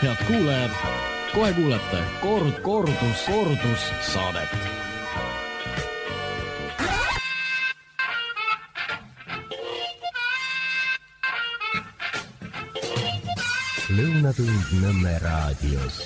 Head kuulajad, kohe kuulete kordus saadet. Lõunatund Nõmme raadios.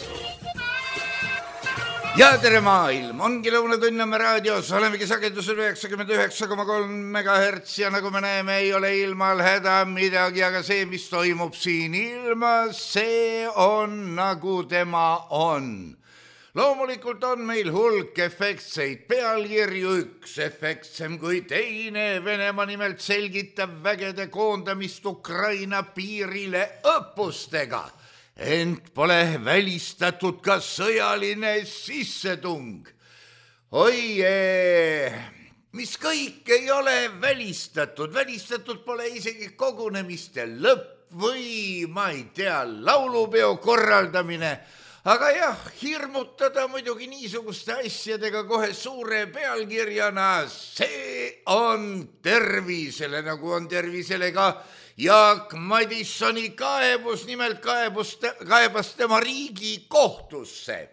Ja tere maailm, ongi Lõunatund Nõmme raadios, olemegi sagedusel 99,3 MHz ja nagu me näeme, ei ole ilmal häda midagi, aga see, mis toimub siin ilmas, see on nagu tema on. Loomulikult on meil hulk efektseid pealkirju, üks efektsem kui teine. Venemaa nimelt selgitab vägede koondamist Ukraina piirile õppustega. Ent pole välistatud ka sõjaline sissetung. Mis kõik ei ole välistatud. Välistatud pole isegi kogunemiste lõpp või, ma ei tea, laulupeo korraldamine. Aga jah, hirmutada muidugi niisuguste asjadega kohe suure pealkirjana, see on tervisele, nagu on tervisele ka Jaak Madissoni kaebus, nimelt kaebas tema riigi kohtusse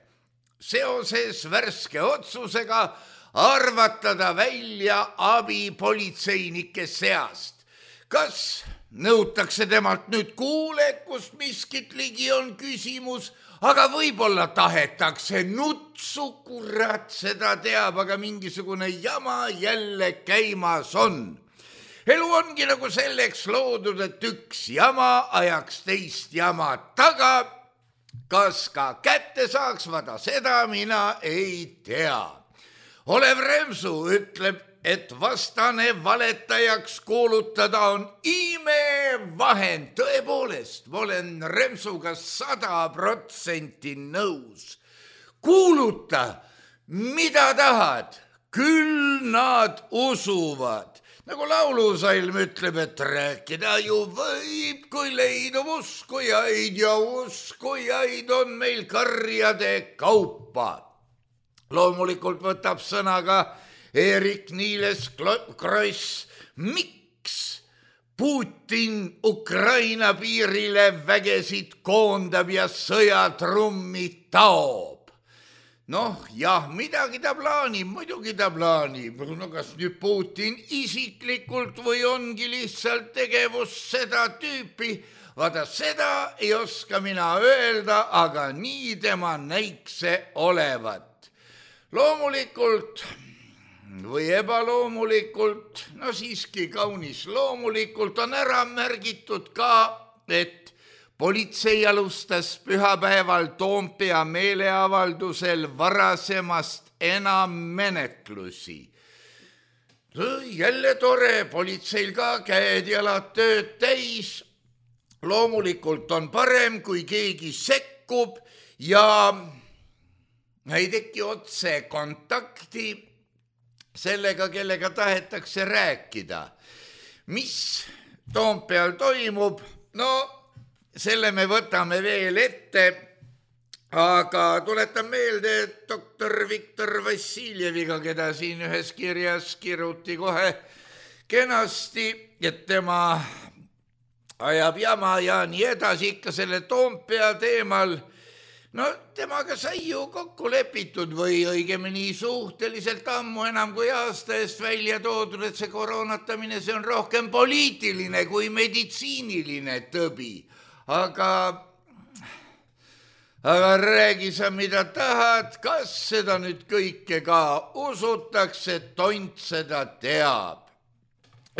seoses värske otsusega arvatada välja abipolitseinike seast. Kas nõutakse temalt nüüd kuulekust, miskit ligi on küsimus, aga võib-olla tahetakse nutsu, kurat, seda teab, aga mingisugune jama jälle käimas on. Elu ongi nagu selleks loodud, et üks jama ajaks teist jama taga. Kas ka kätte saaks, vada seda mina ei tea. Olev Remsu ütleb, et vastane valetajaks kuulutada on imevahend. Tõepoolest, ma olen Remsuga 100% nõus. Kuuluta, mida tahad, küll nad usuvad. Nagu laulusalm ütleb, et rääkida ju võib, kui leidub uskujaid ja uskujaid on meil karjade kaupa. Loomulikult võtab sõna ka Eerik-Niiles Kross. Miks Putin Ukraina piirile vägesid koondab ja sõjatrummi taob? Noh, jah, midagi ta plaanib, muidugi ta plaanib. No kas nüüd Putin isiklikult või ongi lihtsalt tegevus seda tüüpi? Vaata, seda ei oska mina öelda, aga nii tema näikse olevat. Loomulikult või ebaloomulikult, no siiski kaunis loomulikult on ära märgitud ka, et politsei alustas pühapäeval Toompea meeleavaldusel varasemast enam menetlusi. Jälle tore, politseil ka käed jalad tööd täis. Loomulikult on parem, kui keegi sekkub ja ei teki otse kontakti sellega, kellega tahetakse rääkida. Mis Toompeal toimub? No, selle me võtame veel ette, aga tuletan meelde, et doktor Viktor Vassiljeviga, keda siin ühes kirjas kiruti kohe kenasti, et tema ajab jama ja nii edasi ikka selle Toompea teemal. No temaga sai ju kokku lepitud või õigemini suhteliselt ammu, enam kui aasta eest välja toodud, et see koroonatamine, see on rohkem poliitiline kui meditsiiniline tõbi. Aga räägi sa, mida tahad, kas seda nüüd kõike ka usutakse, tont seda teab.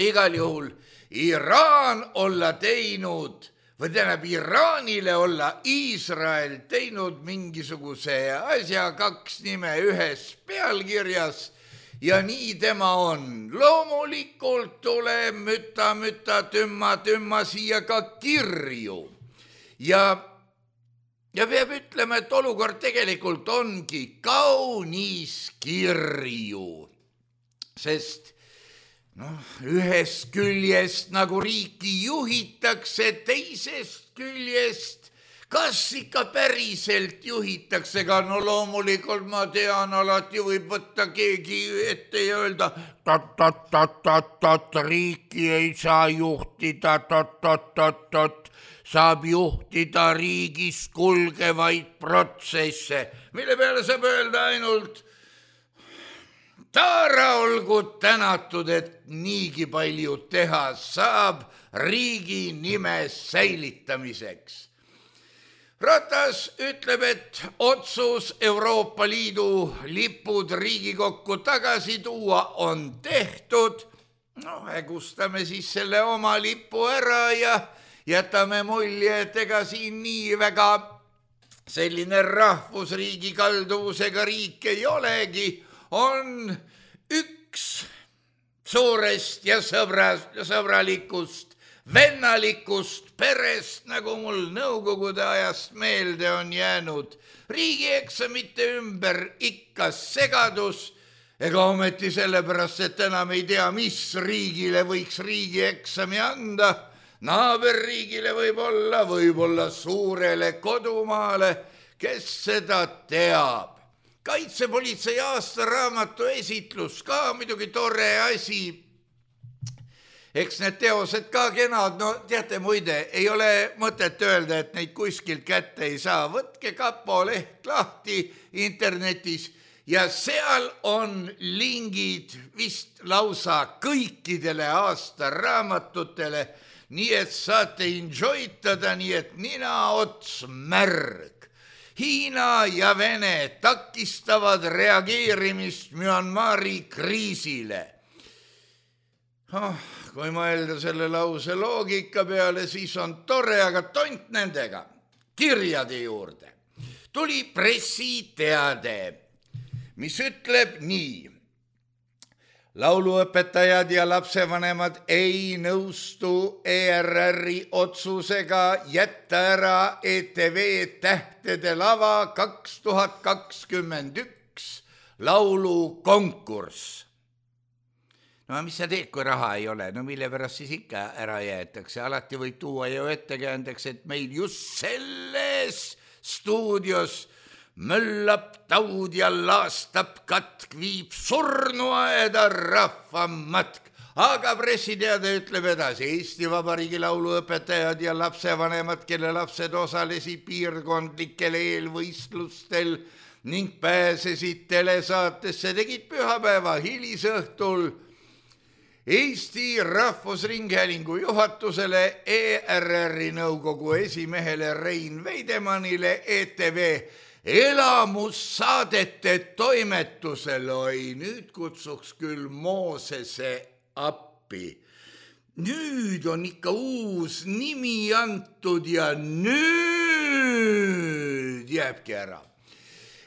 Igal juhul Iraan olla teinud, või tähendab Iraanile olla Iisrael teinud mingisuguse asja, 2 nime ühes pealkirjas ja nii tema on. Loomulikult tuleb müta, tümma siia ka kirju. Ja peab ütlema, et olukord tegelikult ongi kaunis kirju, sest ühest küljest nagu riiki juhitakse, teisest küljest kas ikka päriselt juhitakse ka, no loomulikult ma tean, alati võib võtta keegi ette ja öelda, riiki ei saa juhtida, saab juhtida riigis kulgevaid protsesse, mille peale saab öelda ainult, Taara olgu tänatud, et niigi palju teha saab riigi nime säilitamiseks. Ratas ütleb, et otsus Euroopa Liidu lipud Riigikokku tagasi tuua on tehtud. No, hägustame siis selle oma lipu ära ja jätame mulje, et ega siin nii väga selline rahvusriigi kalduvusega riik ei olegi. On üks suurest ja sõbralikust vennalikust perest, nagu mul nõukogude ajast meelde on jäänud. Riigieksamite ümber ikka segadus, ega ometi sellepärast, et enam ei tea, mis riigile võiks riigieksami anda. Naaberriigile võib-olla suurele kodumaale, kes seda teab. Kaitsepolitsei aastaraamatu esitlus ka muidugi tore asi. Eks need teosed ka kenad, no teate muide, ei ole mõtet öelda, et neid kuskilt kätte ei saa. Võtke Kapo leht lahti internetis ja seal on lingid vist lausa kõikidele aastaraamatutele, nii et saate enjoytada, nii et nina ots märg. Hiina ja Vene takistavad reageerimist Myanmari kriisile. Kui mõelda selle lause loogika peale, siis on tore, aga tont nendega. Kirjade juurde tuli pressiteade, mis ütleb nii. Lauluõpetajad ja lapsevanemad ei nõustu ERR-i otsusega jätta ära ETV Tähtede lava 2021 laulukonkurss. No mis sa teed, kui raha ei ole? No mille pärast siis ikka ära jäetakse? Alati võib tuua ju ettekäändeks, et meil just selles stuudios möllab taud ja laastab katk, viib surnuaeda rahvamatk. Aga pressiteade ütleb edasi, Eesti Vabariigi lauluõpetajad ja lapsevanemad, kelle lapsed osalesid piirkondlikel eelvõistlustel ning pääsesid telesaatesse, tegid pühapäeva hilisõhtul Eesti Rahvusringhäälingu juhatusele, ERR-i nõukogu esimehele Rein Veidemannile, ETV elamussaadete toimetusele. Oi, nüüd kutsuks küll Moosese appi. Nüüd on ikka uus nimi antud ja nüüd jääbki ära.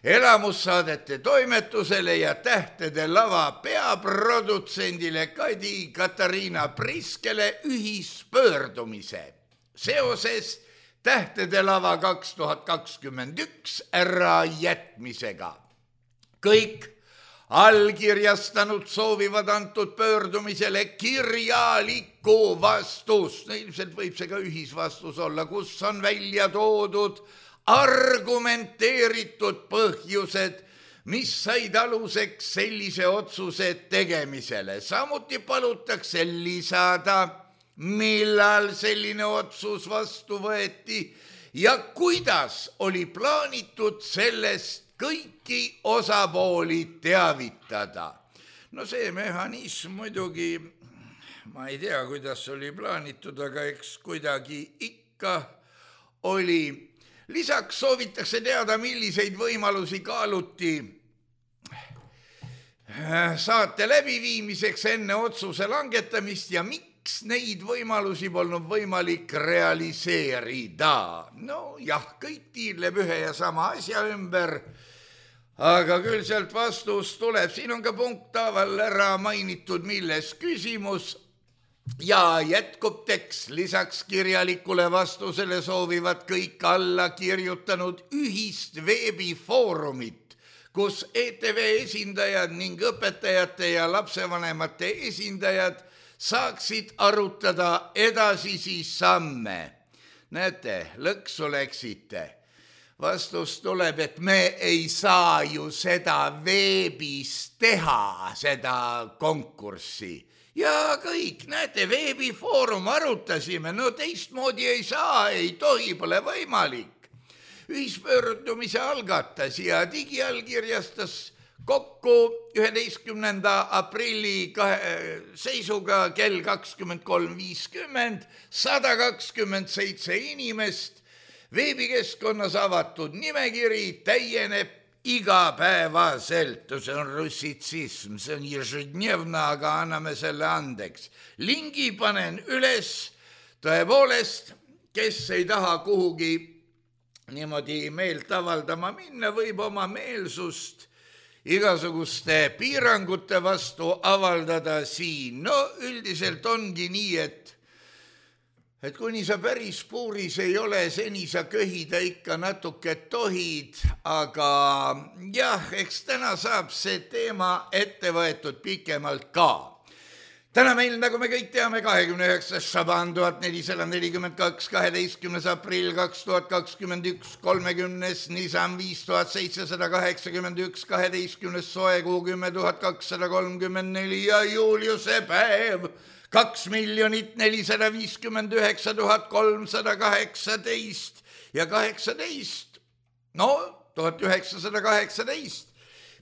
Elamussaadete toimetusele ja Tähtede lava peaprodutsendile Kadi Katariina Priskele ühispöördumise seoses Tähtede lava 2021 ära jätmisega. Kõik allkirjastanud soovivad antud pöördumisele kirjalikku vastust. No, ilmselt võib see ka ühisvastus olla, kus on välja toodud argumenteeritud põhjused, mis said aluseks sellise otsuse tegemisele. Samuti palutakse lisada, millal selline otsus vastu võeti ja kuidas oli plaanitud sellest kõiki osapooli teavitada. No see mehhanism muidugi, ma ei tea, kuidas oli plaanitud, aga eks kuidagi ikka oli. Lisaks soovitakse teada, milliseid võimalusi kaaluti saate läbiviimiseks enne otsuse langetamist ja miks neid võimalusi polnud võimalik realiseerida. No jah, kõik tiirleb ühe ja sama asja ümber, aga küll sealt vastus tuleb. Siin on ka punkthaaval ära mainitud, milles küsimus. Ja jätkub tekst, lisaks kirjalikule vastusele soovivad kõik alla kirjutanud ühist veebifoorumit, kus ETV esindajad ning õpetajate ja lapsevanemate esindajad saaksid arutada edasisi samme. näete, lõksu läksite. Vastus tuleb, et me ei saa ju seda veebis teha, seda konkurssi. Ja kõik, näete, veebifoorum arutasime, no teistmoodi ei saa, ei tohi, pole võimalik. Ühispöördumise algatas ja digiallkirjastas kokku 11. aprilli seisuga kell 23.50 127 inimest. Veebikeskkonnas avatud nimekiri täieneb igapäevaselt, see on russitsism, see on ježednevna, aga anname selle andeks. Lingi panen üles, tõepoolest, kes ei taha kuhugi niimoodi meelt avaldama minna, võib oma meelsust igasuguste piirangute vastu avaldada siin. No üldiselt ongi nii, et kuni sa päris puuris ei ole, seni sa köhida ikka natuke tohid, aga jah, eks täna saab see teema ette võetud pikemalt ka. Täna meil, nagu me kõik teame, 29. Šaban 1442, 12. aprill 2021, 30. Nisan 5781, 12. soekuu 10 234 ja Juliuse päev 2 459 318 ja 18, no 1918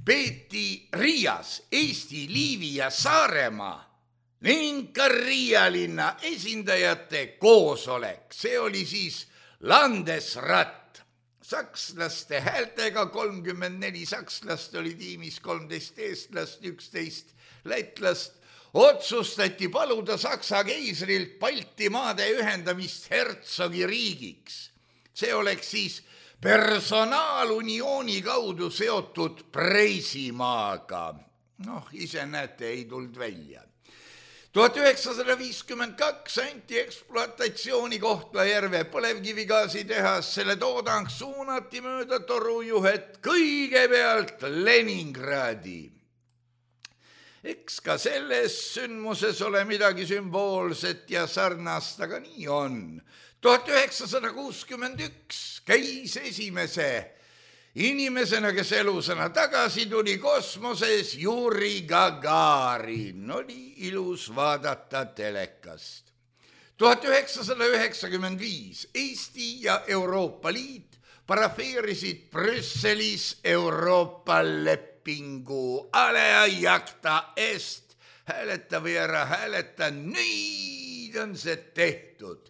peeti Riias Eesti, Liivi ja Saaremaa ning ka Riia linna esindajate koosolek. See oli siis Landesrat. Sakslaste häältega 34 sakslast oli tiimis, 13 eestlast, 11 lätlast. Otsustati paluda Saksa keisrilt Baltimaade ühendamist hertsogi riigiks. See oleks siis personaaluniooni kaudu seotud Preisimaaga. Noh, ise näete, ei tulnud välja. 1952 anti ekspluatatsiooni Kohtla-Järve põlevkivigaasitehas, selle toodang suunati mööda torujuhet kõigepealt Leningradi. Eks ka selles sündmuses ole midagi sümboolset ja sarnast, aga nii on. 1961 käis esimese inimesena, kes elusana tagasi tuli kosmoses, Juri Gagarin. Oli ilus vaadata telekast. 1995 Eesti ja Euroopa Liit parafeerisid Brüsselis Euroopa lepingu alea jakta est. Hääleta või ära hääleta, nüüd on see tehtud.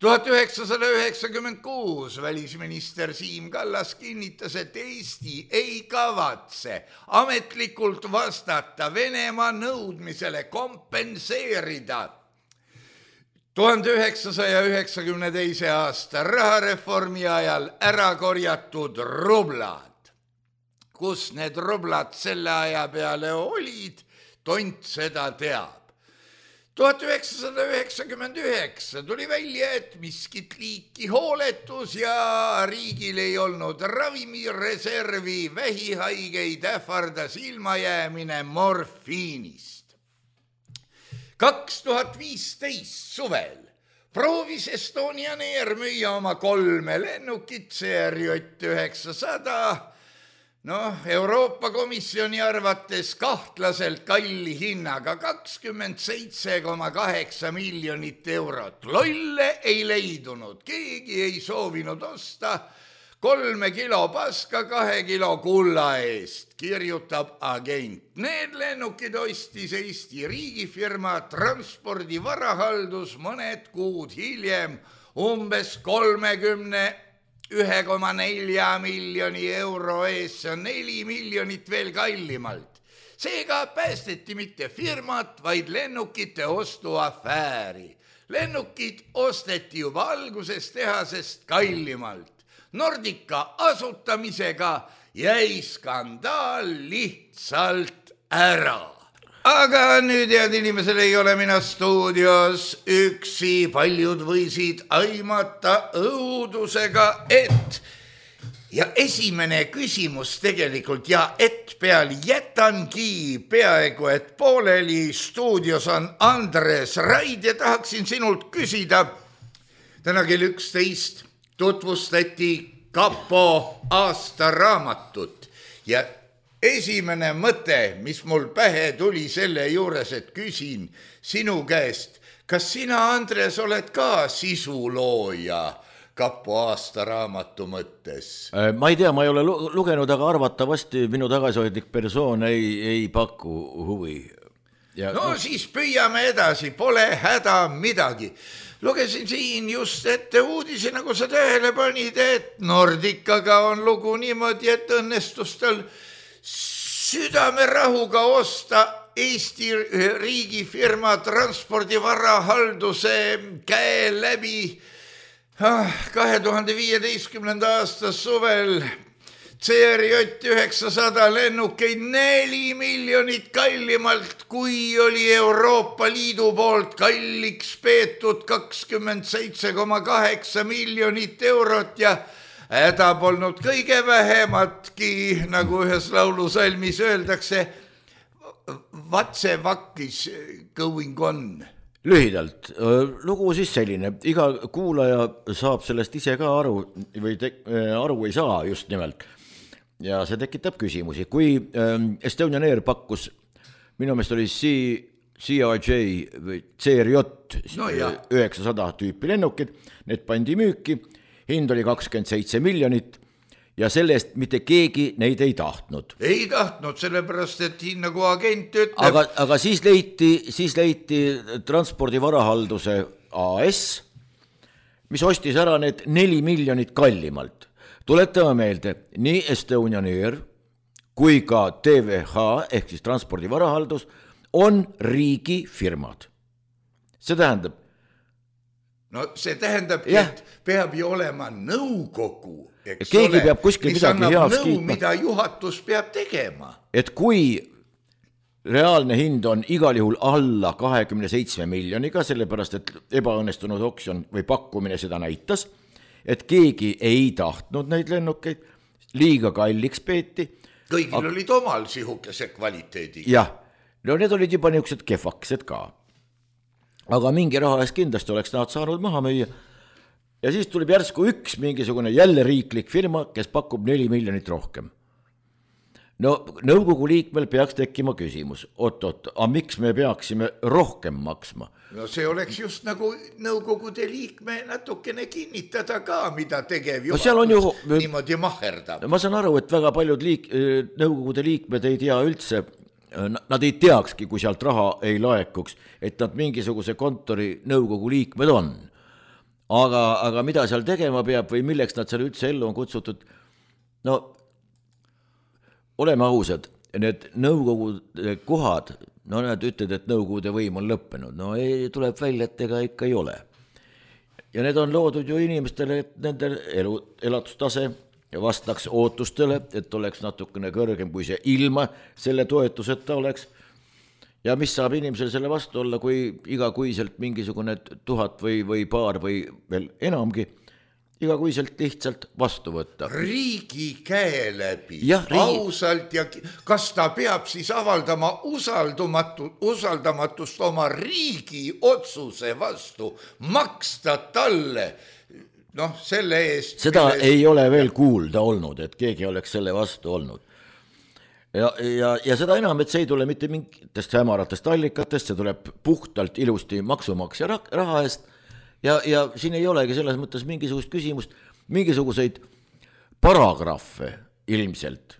1996 välisminister Siim Kallas kinnitas, et Eesti ei kavatse ametlikult vastata Venemaa nõudmisele kompenseerida 1992. aasta rahareformi ajal ära korjatud rublad. Kus need rublad selle aja peale olid, tont seda teab. 1999 tuli välja, et miskit liiki hooletus ja riigil ei olnud ravimireservi, vähihaigeid ähvardas ilmajäämine morfiinist. 2015 suvel proovis Estonian Air müüa oma 3 lennukit CRJ 900, Euroopa Komisjoni arvates kahtlaselt kalli hinnaga 27,8 miljonit eurot. Lolle ei leidunud, keegi ei soovinud osta 3 kilo paska 2 kilo kulla eest, kirjutab agent. Need lennukid ostis Eesti riigifirma Transpordi Varahaldus mõned kuud hiljem umbes 1,4 miljoni euro eest, see on 4 miljonit veel kallimalt. Seega päästeti mitte firmat, vaid lennukite ostuafääri. Lennukid osteti juba alguses tehasest kallimalt. Nordica asutamisega jäi skandaal lihtsalt ära. Aga nüüd, head inimesel, ei ole mina stuudios üksi, paljud võisid aimata õudusega, et ja esimene küsimus tegelikult ja et peal jätangi peaaegu, et pooleli. Stuudios on Andres Raid ja tahaksin sinult küsida, täna kell 11 tutvustati Kapo aastaraamatut ja esimene mõte, mis mul pähe tuli selle juures, et küsin sinu käest, kas sina, Andres, oled ka sisulooja Kapo aastaraamatu mõttes? Ma ei tea, ma ei ole lugenud, aga arvatavasti minu tagasihoidlik persoon ei paku huvi. Siis püüame edasi, pole häda midagi. Lugesin siin just ette uudise, nagu sa tähele panid, et Nordicaga on lugu niimoodi, et õnnestus tal südamerahuga osta Eesti riigifirma transpordivarahalduse käe läbi 2015. aasta suvel CRJ 900 lennukeid 4 miljonit kallimalt, kui oli Euroopa Liidu poolt kalliks peetud 27,8 miljonit eurot ja häda polnud kõige vähematki, nagu ühes laulusalmis öeldakse, what's a fuck is going on? Lühidalt, lugu siis selline, iga kuulaja saab sellest ise ka aru või aru ei saa just nimelt. Ja see tekitab küsimusi, kui Estonian Air pakkus, minu meelest oli CRJ või CRJ 900 tüüpi lennukid, need pandi müüki, hind oli 27 miljonit ja sellest mitte keegi neid ei tahtnud. Ei tahtnud, sellepärast, et nagu agent ütleb. Aga siis leiti transpordivarahalduse AS, mis ostis ära need 4 miljonit kallimalt. Tuletame meelde, nii Estonian Air kui ka TVH ehk siis transpordivarahaldus on riigifirmad. See tähendab? See tähendab, et peab ju olema nõukogu. Keegi peab kuskil midagi heaks kiitma. Mida juhatus peab tegema. Et kui reaalne hind on igal juhul alla 27 miljoniga, sellepärast et ebaõnnestunud oksjon või pakkumine seda näitas, et keegi ei tahtnud neid lennukeid, liiga kalliks peeti. Kõigil olid omal sihukese kvaliteedi. Jah, need olid juba niisugused kehvaksed ka. Aga mingi raha eest kindlasti oleks nad saanud maha müüa. Ja siis tuleb järsku üks mingisugune jälle riiklik firma, kes pakub 4 miljonit rohkem. Nõukogu liikmel peaks tekkima küsimus, aga miks me peaksime rohkem maksma? See oleks just nagu nõukogude liikme natukene kinnitada ka, mida tegev juhatus niimoodi maherdab. Ma saan aru, et väga paljud nõukogude liikmed ei tea üldse, nad ei teakski, kui sealt raha ei laekuks, et nad mingisuguse kontori nõukogu liikmed on. Aga mida seal tegema peab või milleks nad seal üldse ellu on kutsutud? Oleme ausad, need nõukogude kohad, nad ütled, et nõukogude võim on lõppenud. Tuleb välja, et ega ikka ei ole. Ja need on loodud ju inimestele, et nende elatustase vastaks ootustele, et oleks natukene kõrgem, kui see ilma selle toetuseta oleks. Ja mis saab inimesel selle vastu olla, kui igakuiselt mingisugune 1000 või paar või veel enamgi igakuiselt lihtsalt vastu võtta. Riigi käe läbi, ausalt ja kas ta peab siis avaldama usaldamatust oma riigi otsuse vastu, maksta talle selle eest. Seda ei ole veel kuulda olnud, et keegi oleks selle vastu olnud. Ja seda enam, et see ei tule mitte mingitest hämaratest allikatest, see tuleb puhtalt ilusti maksumaksja raha eest. Ja siin ei olegi selles mõttes mingisugust küsimust, mingisuguseid paragrahve ilmselt.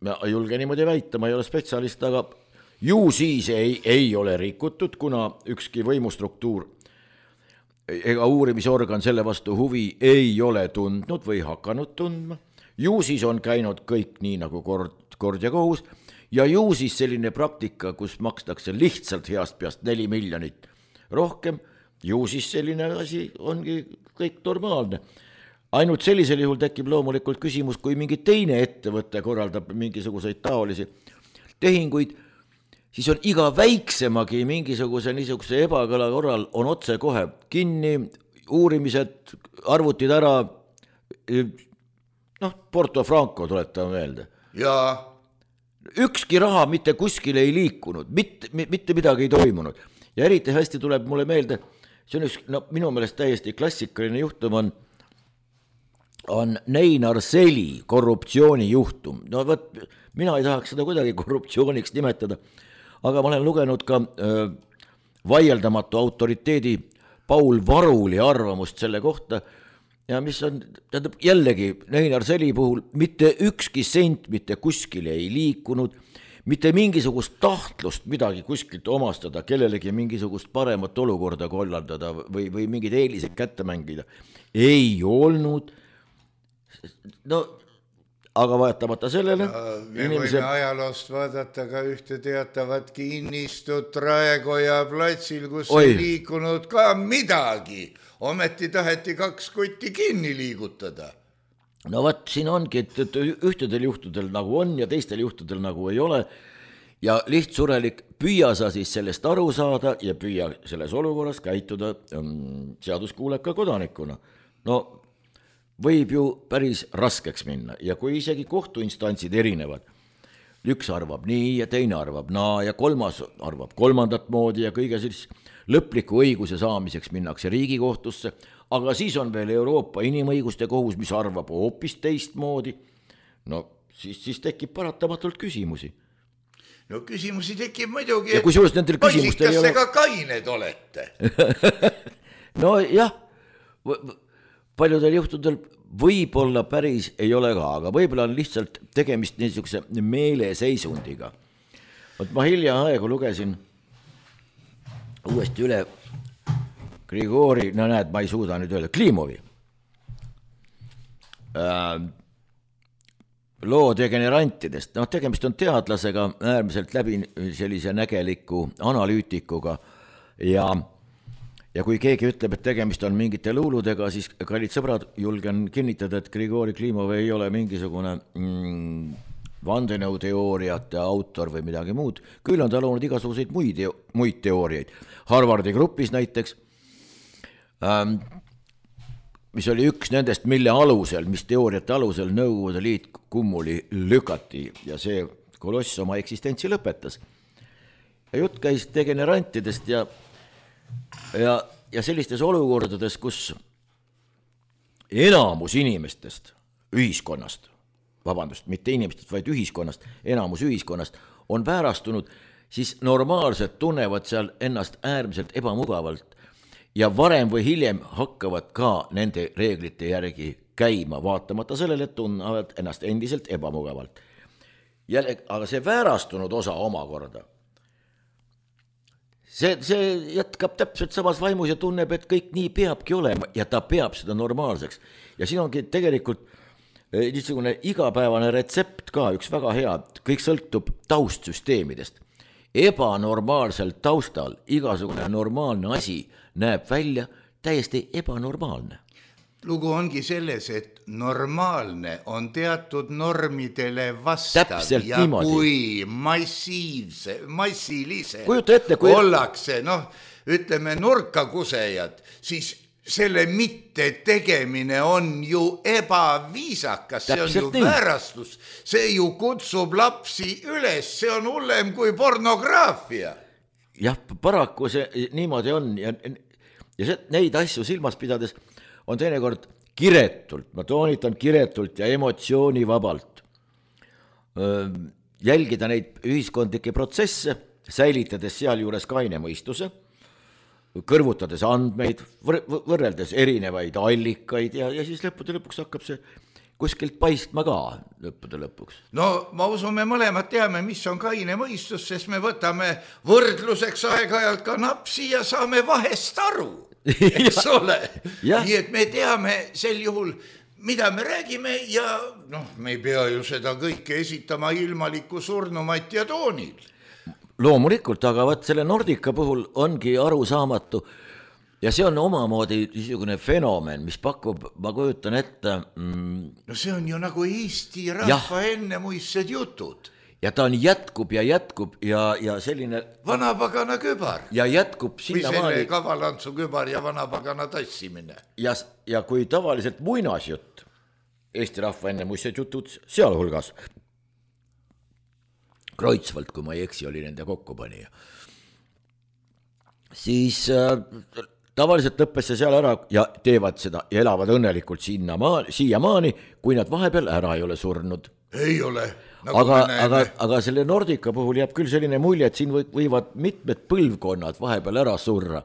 Ma julge niimoodi väita, ma ei ole spetsialist, aga ju siis ei ole rikutud, kuna ükski võimustruktuur ega uurimisorgan selle vastu huvi ei ole tundnud või hakanud tundma. Ju siis on käinud kõik nii nagu kord ja kohus ja ju siis selline praktika, kus makstakse lihtsalt heast peast 4 miljonit rohkem, ju siis selline asi ongi kõik normaalne. Ainult sellisel juhul tekib loomulikult küsimus, kui mingi teine ettevõte korraldab mingisuguseid taolisi tehinguid, siis on iga väiksemagi mingisuguse niisuguse ebakõla korral on otse kohe kinni, uurimised, arvutid ära, Porto Franco tuletame meelde. Ja ükski raha mitte kuskile ei liikunud, mitte midagi ei toimunud. Ja eriti hästi tuleb mulle meelde see on üks, no minu meelest täiesti klassikaline juhtum on Neinar Seli korruptsioonijuhtum. No võt, mina ei tahaks seda kuidagi korruptsiooniks nimetada, aga ma olen lugenud ka vaieldamatu autoriteedi Paul Varuli arvamust selle kohta ja mis on, tähendab jällegi Neinar Seli puhul mitte ükski sent mitte kuskile ei liikunud, mitte mingisugust tahtlust midagi kuskilt omastada, kellelegi mingisugust paremat olukorda kollandada või mingid eelised kätte mängida. Ei olnud. No, aga vaatamata sellele me võime ajaloost vaadata ka ühte teatavat kinnistut Raekoja platsil, kus ei liikunud ka midagi. Ometi taheti 2 kotti kinni liigutada. No vaat, siin ongi, et ühtedel juhtudel nagu on ja teistel juhtudel nagu ei ole ja lihtsurelik püüa sa siis sellest aru saada ja püüa selles olukorras käituda seaduskuuleka kodanikuna. No võib ju päris raskeks minna ja kui isegi kohtuinstantsid erinevad, üks arvab nii ja teine arvab naa ja kolmas arvab kolmandat moodi ja kõige siis lõpliku õiguse saamiseks minnakse Riigikohtusse, aga siis on veel Euroopa Inimõiguste Kohus, mis arvab hoopis teistmoodi, no siis tekib paratamatult küsimusi. No küsimusi tekib muidugi, ja kui nendel küsimustel ei ole... kas te ka kained olete? No jah, paljudel juhtudel võib-olla päris ei ole ka, aga võib-olla on lihtsalt tegemist niisuguse meeleseisundiga. Võt ma hiljaaegu lugesin uuesti üle Grigori, no näed, ma ei suuda nüüd öelda, Klimovi loo degenerantidest. No tegemist on teadlasega, äärmiselt läbi sellise nägeliku analüütikuga ja kui keegi ütleb, et tegemist on mingite luuludega, siis kallid sõbrad, julgen kinnitada, et Grigori Klimov ei ole mingisugune vandenõuteooriate autor või midagi muud. Küll on ta loonud igasuguseid muid teooriaid. Harvardi grupis näiteks, mis oli üks nendest, mille alusel, mis teooriate alusel Nõukogude Liit kummuli lükati ja see koloss oma eksistentsi lõpetas. Ja jutt käis degenerantidest ja sellistes olukordades, kus enamus inimestest ühiskonnast, mitte inimestest, vaid ühiskonnast, enamus ühiskonnast on väärastunud, siis normaalselt tunnevad seal ennast äärmiselt ebamugavalt ja varem või hiljem hakkavad ka nende reeglite järgi käima, vaatamata sellele, et tunnevad ennast endiselt ebamugavalt. Aga see väärastunud osa omakorda, see jätkab täpselt samas vaimus ja tunneb, et kõik nii peabki olema ja ta peab seda normaalseks. Ja siin ongi tegelikult niisugune igapäevane retsept ka, üks väga hea, kõik sõltub taustsüsteemidest. Ebanormaalsel taustal igasugune normaalne asi näeb välja täiesti ebanormaalne. Lugu ongi selles, et normaalne on teatud normidele vastav. Täpselt ja niimoodi. Kui massilise ollakse, ütleme nurkakusejad, siis selle mitte tegemine on ju ebaviisakas, see on ju väärastus, see ju kutsub lapsi üles, see on hullem kui pornograafia. Jah, paraku see niimoodi on ja neid asju silmas pidades on teinekord kiretult, ma toonitan kiretult ja emotsioonivabalt jälgida neid ühiskondlikke protsesse, säilitades sealjuures kaine mõistuse, kõrvutades andmeid, võrreldes erinevaid allikaid ja siis lõppude lõpuks hakkab see kuskilt paistma ka lõppude lõpuks. No ma usun, me mõlemad teame, mis on kaine mõistus, sest me võtame võrdluseks aeg-ajalt ka napsi ja saame vahest aru, eks ole. Nii et me teame sel juhul, mida me räägime ja me ei pea ju seda kõike esitama ilmaliku surnumati ja toonil. Loomulikult, aga võt selle Nordica puhul ongi arusaamatu ja see on omamoodi niisugune fenomen, mis pakub, ma kujutan ette... No see on ju nagu Eesti rahva ennemuistsed jutud. Ja ta on jätkub ja selline... Vanapagana kübar. Ja jätkub sinna maali... Või selle kavalantsu kübar ja vanapagana tassimine. Ja kui tavaliselt muinasjutt, Eesti rahva ennemuistsed jutud, sealhulgas Kreutzwald, kui ma ei eksi, oli nende kokkupanija, siis tavaliselt lõppes see seal ära ja teevad seda ja elavad õnnelikult siiamaani, kui nad vahepeal ära ei ole surnud. Ei ole. Nagu aga selle Nordica puhul jääb küll selline mulje, et siin võivad mitmed põlvkonnad vahepeal ära surra,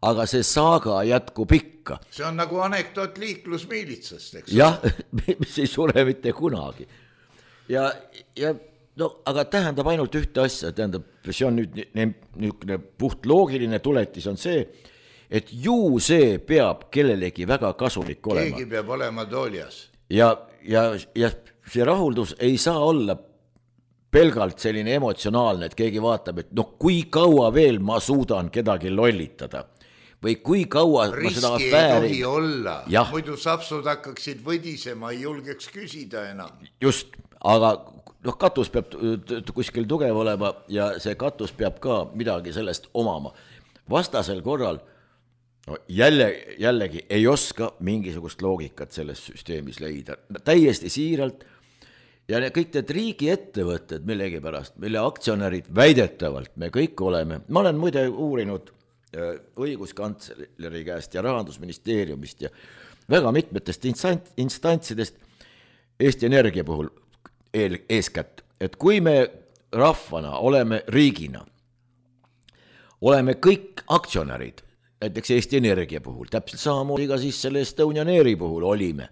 aga see saaga jätkub ikka. See on nagu anekdoot liiklusmiilitsast, eks? Jah, mis ei sure mitte kunagi. Ja no, aga tähendab ainult ühte asja, tähendab, see on nüüd puht loogiline tuletis on see, et ju see peab kellelegi väga kasulik olema. Keegi peab olema tooljas. Ja see rahuldus ei saa olla pelgalt selline emotsionaalne, et keegi vaatab, et noh, kui kaua veel ma suudan kedagi lollitada või kui kaua riski ma seda afääri ei tohi olla, jah. Muidu sapsud hakkaksid võdisema, ei julgeks küsida enam. Just, aga noh, katus peab kuskil tugev olema ja see katus peab ka midagi sellest omama. Vastasel korral no, jällegi ei oska mingisugust loogikat selles süsteemis leida. Täiesti siiralt ja kõik need riigiettevõtted millegipärast, mille aktsionärid väidetavalt me kõik oleme. Ma olen muide uurinud õiguskantsleri käest ja Rahandusministeeriumist ja väga mitmetest instantsidest Eesti Energia puhul eeskätt, et kui me rahvana oleme riigina, oleme kõik aktsionärid, näiteks Eesti Energia puhul, täpselt samamoodi ka siis selle Estonian Airi puhul olime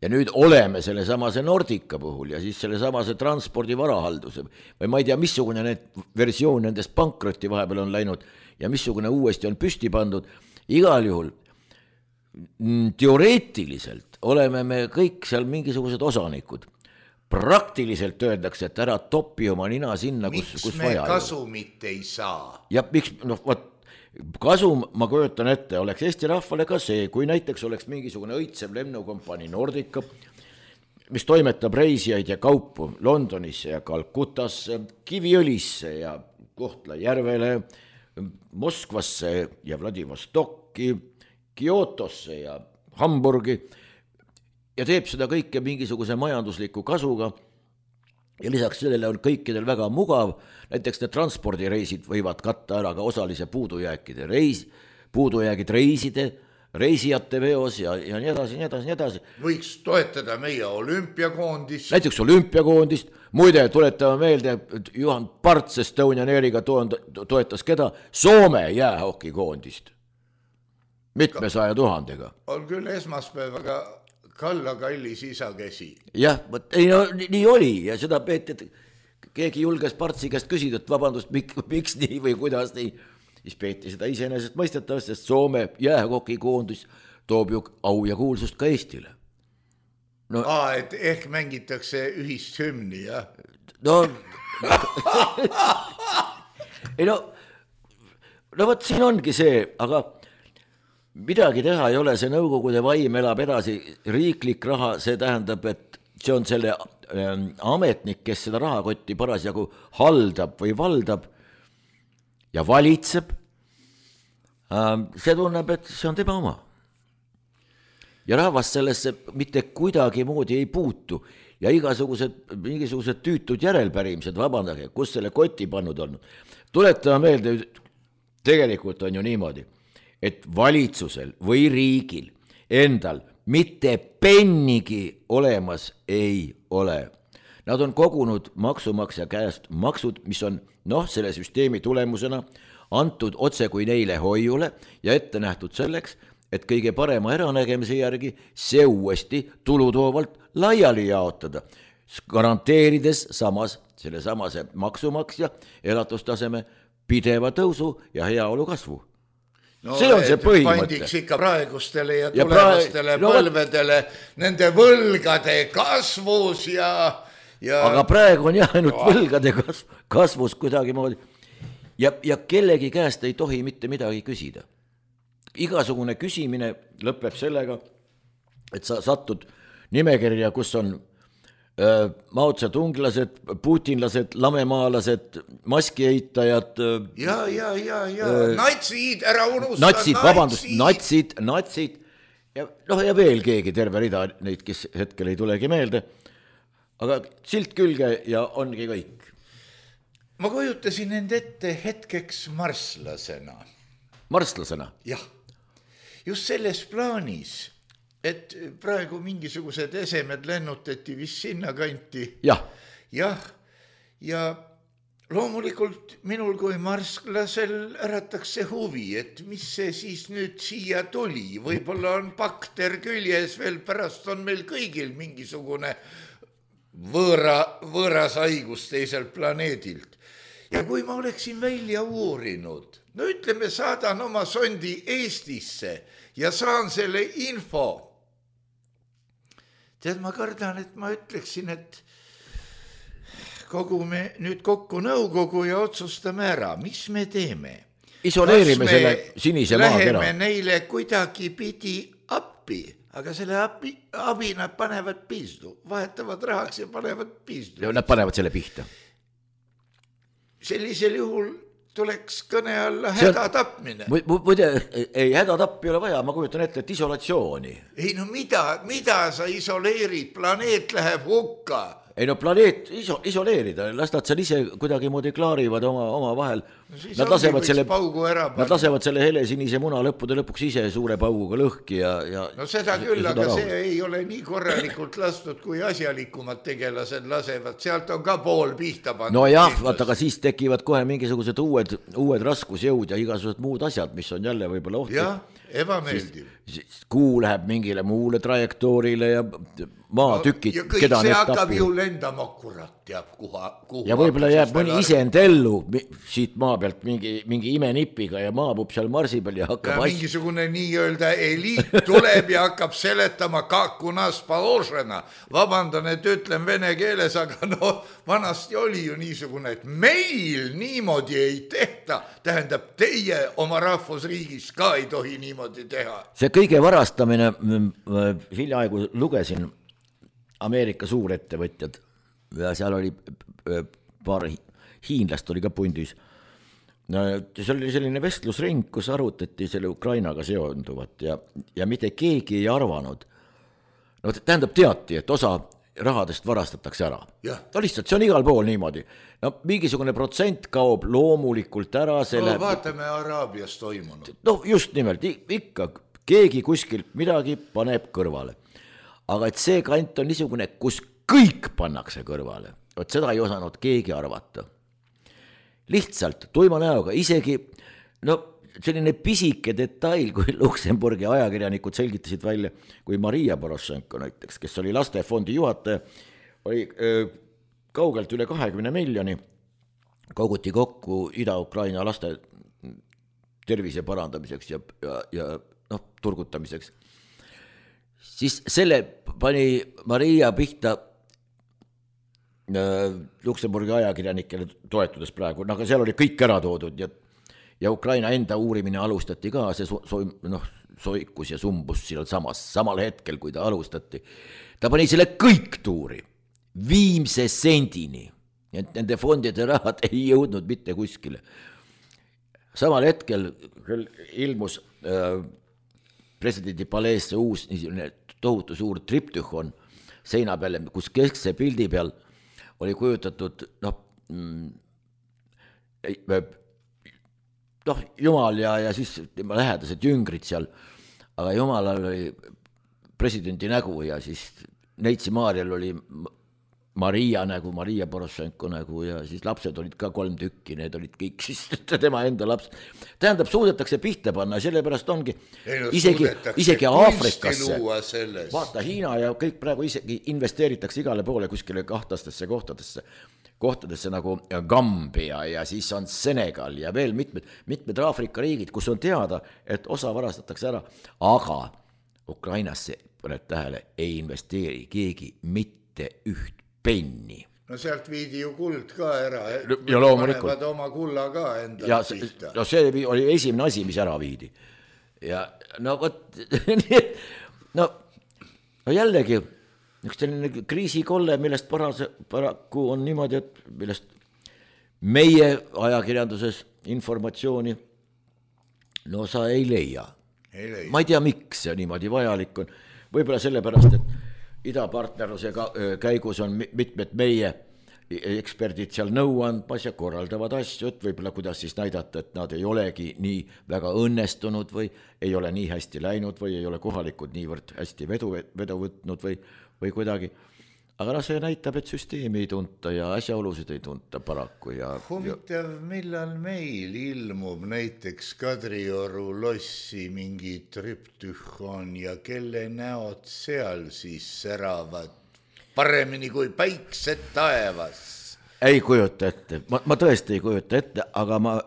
ja nüüd oleme selle samase Nordica puhul ja siis selle samase transpordi varahalduse või ma ei tea, missugune need versioon nendest pankrotti vahepeal on läinud ja missugune uuesti on püsti pandud. Igal juhul teoreetiliselt oleme me kõik seal mingisugused osanikud. Praktiliselt öeldakse, et ära topi oma nina sinna, kus vaja. Miks me kasumit ei saa? Ja miks, noh, kasum, ma kujutan ette, oleks Eesti rahvale ka see, kui näiteks oleks mingisugune õitsev lennukompanii Nordica, mis toimetab reisijaid ja kaupu Londonisse ja Kalkutasse, Kiviõlisse ja Kohtla-Järvele, Moskvasse ja Vladivostokki, Kyotosse ja Hamburgi ja teeb seda kõike mingisuguse majandusliku kasuga ja lisaks sellele on kõikidel väga mugav, näiteks need transpordireisid võivad katta ära ka osalise puudujäägid reiside, reisijate veos ja nii edasi, nii edasi, nii edasi. Võiks toetada meie olümpiakoondist. Näiteks olümpiakoondist, muide tuletame meelde, et Juhan Parts Estonian Airiga toetas keda? Soome jäähokikoondist. Mitmesaja tuhandega. On küll esmaspäevaga Kalla kallis isakesi. Jah, ei, no, nii oli ja seda peeti, et keegi julges Partsi käest küsida, et vabandust, miks nii või kuidas nii. Siis peeti seda iseenesest mõistetavast, sest Soome jäähokikoondis toob ju au ja kuulsust ka Eestile. No, et ehk mängitakse ühist hümni, jah? No, ei no võt siin ongi see, aga midagi teha ei ole, see nõukogude vaim elab edasi, riiklik raha, see tähendab, et see on selle ametnik, kes seda rahakotti parasjagu haldab või valdab ja valitseb, see tunneb, et see on tema oma. Ja rahvas sellesse mitte kuidagi moodi ei puutu ja mingisugused tüütud järelpärimised, vabandage, kus selle koti pannud on. Tuletame meelde, tegelikult on ju niimoodi, et valitsusel või riigil endal mitte pennigi olemas ei ole. Nad on kogunud maksumaksja käest maksud, mis on selle süsteemi tulemusena antud otse kui neile hoiule ja ette nähtud selleks, et kõige parema äranägemise järgi see uuesti tulutoovalt laiali jaotada, garanteerides samas selle samase maksumaksja elatustaseme pideva tõusu ja heaolu kasvu. No, see on see põhimõte. Pandiks ikka praegustele ja tulevastele põlvedele nende võlgade kasvus ja... Aga praegu on ainult võlgade kasvus kuidagi moodi. Ja kellegi käest ei tohi mitte midagi küsida. Igasugune küsimine lõpeb sellega, et sa satud nimekirja, kus on maotsatunglased, putinlased, lamemaalased, maskieitajad. Ja, natsid, ära unusta. Natsid, vabandust, natsid. Ja veel keegi terve rida neid, kes hetkel ei tulegi meelde. Aga silt külge ja ongi kõik. Ma kujutasin end ette hetkeks marslasena. Marslasena? Jah. just selles plaanis, et praegu mingisugused esemed lennutati vist sinna kanti. jah, ja loomulikult minul kui marsklasel ärataks see huvi, et mis see siis nüüd siia tuli. Võib-olla on bakter küljes veel, pärast on meil kõigil mingisugune võõras haigus teiselt planeedilt. Ja kui ma oleksin välja uurinud, no ütleme, saadan oma sondi Eestisse ja saan selle info. Tead, ma kardan, et ma ütleksin, et kogume nüüd kokku nõukogu ja otsustame ära, mis me teeme. Isoleerime selle sinise maakera. Läheme neile kuidagi pidi appi, aga selle abi nad panevad piistu, vahetavad rahaks ja panevad piistu. Ja nad panevad selle pihta. Sellisel juhul tuleks kõne alla hädatapmine. Muide, ei, hädatapp ei ole vaja, ma kujutan ette, et isolatsiooni. Ei no mida sa isoleerid, planeet läheb hukka. Ei no planeet isoleerida, las nad seal ise kuidagi moodi klaarivad oma vahel. Nad lasevad selle helesinise muna lõpuks ise suure pauguga lõhki ja no seda küll, aga see ei ole nii korralikult lastud, kui asjalikumad tegelased lasevad. Sealt on ka pool pihta pandud. No jah, vaata, aga siis tekivad kohe mingisugused uued raskusjõud ja igasugused muud asjad, mis on jälle võib-olla ohtlik. Jah, ebameeldiv. Kuu läheb mingile muule trajektoorile ja maatükid, ja kõik see hakkab ju lendama kurat teab kuhu. Ja võib-olla jääb mõni isend ellu siit maa pealt mingi imenipiga ja maabub seal marsi peal ja hakkab mingisugune nii-öelda eliit tuleb ja hakkab seletama kakunas paložena. Vabandan, et ütlen vene keeles, aga no vanasti oli ju niisugune, et meil niimoodi ei tehta. Tähendab, teie oma rahvusriigis ka ei tohi niimoodi teha. See kõige varastamine, hiljaaegu lugesin Ameerika suurettevõtjad ja seal oli paar hiinlast oli ka pundis. No, see oli selline vestlusring, kus arutati selle Ukrainaga seonduvat ja mitte keegi ei arvanud. No, tähendab teati, et osa rahadest varastatakse ära. No lihtsalt, see on igal pool niimoodi. No, mingisugune protsent kaob loomulikult ära. No, vaatame Araabias toimunud. No just nimelt, ikka keegi kuskilt midagi paneb kõrvale. Aga et see kant on niisugune, kus kõik pannakse kõrvale. Vot seda ei osanud keegi arvata. Lihtsalt tuima näoga, isegi selline pisike detail, kui Luksemburgi ajakirjanikud selgitasid välja, kui Maria Poroshenko näiteks, kes oli lastefondi juhataja, oli kaugelt üle 20 miljoni, koguti kokku Ida-Ukraina laste tervise parandamiseks ja turgutamiseks. Siis selle pani Maria pihta Luksemburgi ajakirjanikele toetudes praegu, aga seal oli kõik ära toodud ja Ukraina enda uurimine alustati ka, see soikus ja sumbus samal hetkel, kui ta alustati. Ta pani selle kõik tuuri, viimse sendini, et nende fondide rahad ei jõudnud mitte kuskile. Samal hetkel ilmus presidendi paleesse uus tohutu suur triptühon seina peale, kus keskse pildi peal oli kujutatud Jumal ja siis tema lähedased jüngrid seal, aga Jumalal oli presidendi nägu ja siis Neitsi Maarjal oli Maria nägu, Maria Poroshenko nägu ja siis lapsed olid ka 3 tükki, need olid kõik siis tema enda laps. Tähendab, suudetakse pihta panna, sellepärast ongi isegi Aafrikasse, vaata Hiina ja kõik praegu isegi investeeritakse igale poole kuskile kahtastesse kohtadesse nagu Gambia ja siis on Senegal ja veel mitmed Aafrika riigid, kus on teada, et osa varastatakse ära, aga Ukrainasse, paned tähele, ei investeeri keegi mitte üht penni. No sealt viidi ju kuld ka ära, ja loomulikult panevad oma kulla ka enda pihta. No see oli esimene asi, mis ära viidi. Ja no võt, no jällegi üks selline kriisikolle, millest paraku on niimoodi, et millest meie ajakirjanduses informatsiooni no sa ei leia. Ma ei tea, miks see niimoodi vajalik on. Võib-olla sellepärast, et idapartnerluse käigus on mitmed meie eksperdid seal nõu andmas ja korraldavad asju, et võib-olla kuidas siis näidata, et nad ei olegi nii väga õnnestunud või ei ole nii hästi läinud või ei ole kohalikud niivõrd hästi vedu võtnud või kuidagi. Aga see näitab, et süsteemi ei tunta ja asjaolusid ei tunta paraku. Huvitav, millal meil ilmub näiteks Kadrioru lossi mingi trüptühon ja kelle näod seal siis säravad paremini kui päiksed taevas? Ei kujuta ette, ma tõesti ei kujuta ette, aga ma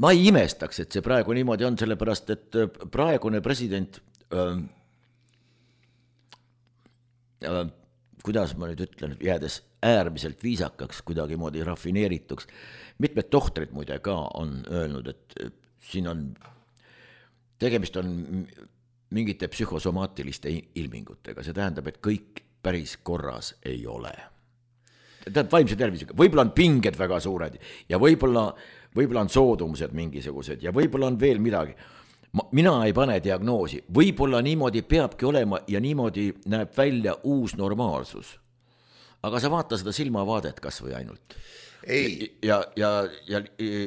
ei imestaks, et see praegu niimoodi on, sellepärast, et praegune president, kuidas ma nüüd ütlen, jäädes äärmiselt viisakaks, kuidagimoodi rafineerituks, mitmed tohtrid muide ka on öelnud, et siin on, tegemist on mingite psühhosomaatiliste ilmingutega, see tähendab, et kõik päris korras ei ole. Tähendab vaimse tervisega, võib-olla on pinged väga suured ja võib-olla on soodumused mingisugused ja võib-olla on veel midagi. Mina ei pane diagnoosi, võib-olla niimoodi peabki olema ja niimoodi näeb välja uus normaalsus. Aga sa vaata seda silmavaadet kas või ainult. Ei. Ja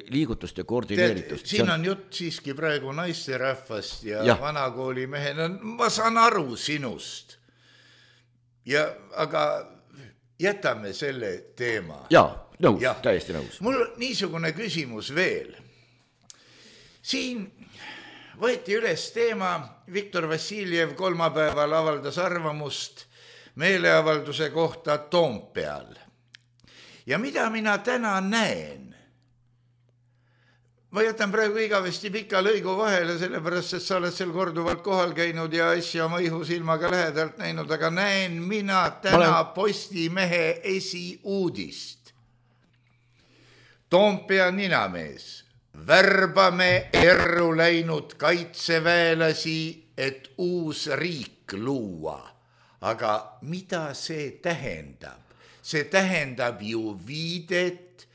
liigutuste koordineeritust. Siin on jutt siiski praegu naisterahvast ja vanakooli mehena. Ma saan aru sinust. Aga jätame selle teema. Nõus, täiesti nõus. Mul niisugune küsimus veel. Siin võeti üles teema, Viktor Vassiljev kolmapäeval avaldas arvamust meeleavalduse kohta Toompeal. Ja mida mina täna näen? Ma jätan praegu igavesti pika lõigu vahele, sellepärast, et sa oled seal korduvalt kohal käinud ja asja oma ihusilmaga lähedalt näinud, aga näen mina täna Postimehe esiuudist. Toompea ninamees. Värbame erru läinud kaitseväelasi, et uus riik luua. Aga mida see tähendab? See tähendab ju viidet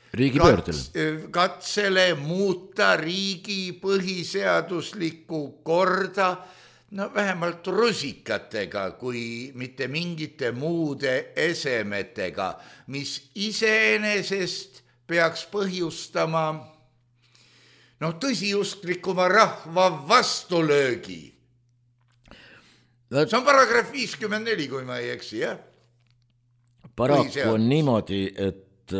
katsele muuta riigi põhiseaduslikku korda, vähemalt rusikatega, kui mitte mingite muude esemetega, mis iseenesest peaks põhjustama tõsiusklikuma rahva vastulöögi. See on paragrahv 54, kui ma ei eksi, jah? Paraku on niimoodi, et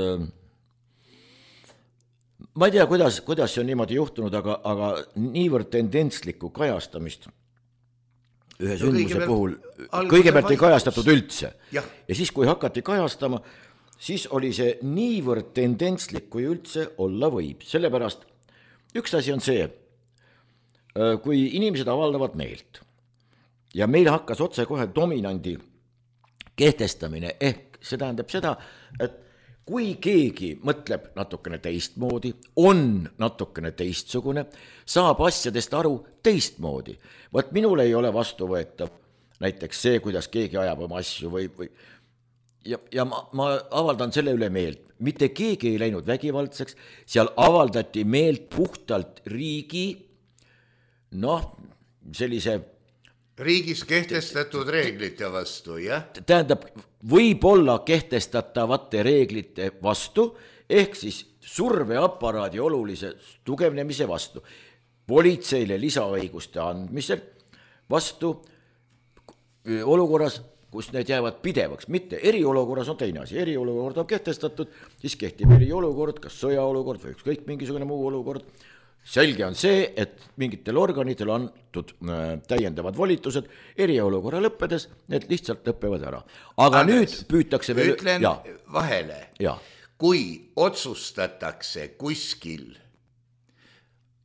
ma ei tea, kuidas see on niimoodi juhtunud, aga niivõrd tendentslikku kajastamist ühe sündmuse puhul kõigepealt ei kajastatud üldse. Ja siis, kui hakati kajastama, siis oli see niivõrd tendentslik, kui üldse olla võib. Sellepärast üks asi on see, kui inimesed avaldavad meelt ja meil hakkas otse kohe dominandi kehtestamine, ehk see tähendab seda, et kui keegi mõtleb natukene teistmoodi, on natukene teistsugune, saab asjadest aru teistmoodi. Võt minul ei ole vastuvõetav näiteks see, kuidas keegi ajab oma asju ja ma avaldan selle üle meelt. Mitte keegi ei läinud vägivaldseks, seal avaldati meelt puhtalt riigi, sellise riigis kehtestatud reeglite vastu, jah? Tähendab, võib-olla kehtestatavate reeglite vastu, ehk siis surveaparaadi olulise tugevnemise vastu, politseile lisaõiguste andmisel vastu olukorras, kus need jäävad pidevaks, mitte eriolukorras on teine asi, eriolukord on kehtestatud, siis kehtib eriolukord, kas sõjaolukord või ükskõik mingisugune muu olukord. Selge on see, et mingitel organitel on täiendavad volitused, eriolukorra lõppedes, need lihtsalt lõppevad ära. Aga nüüd püütakse veel... Ütlen vahele, kui otsustatakse kuskil,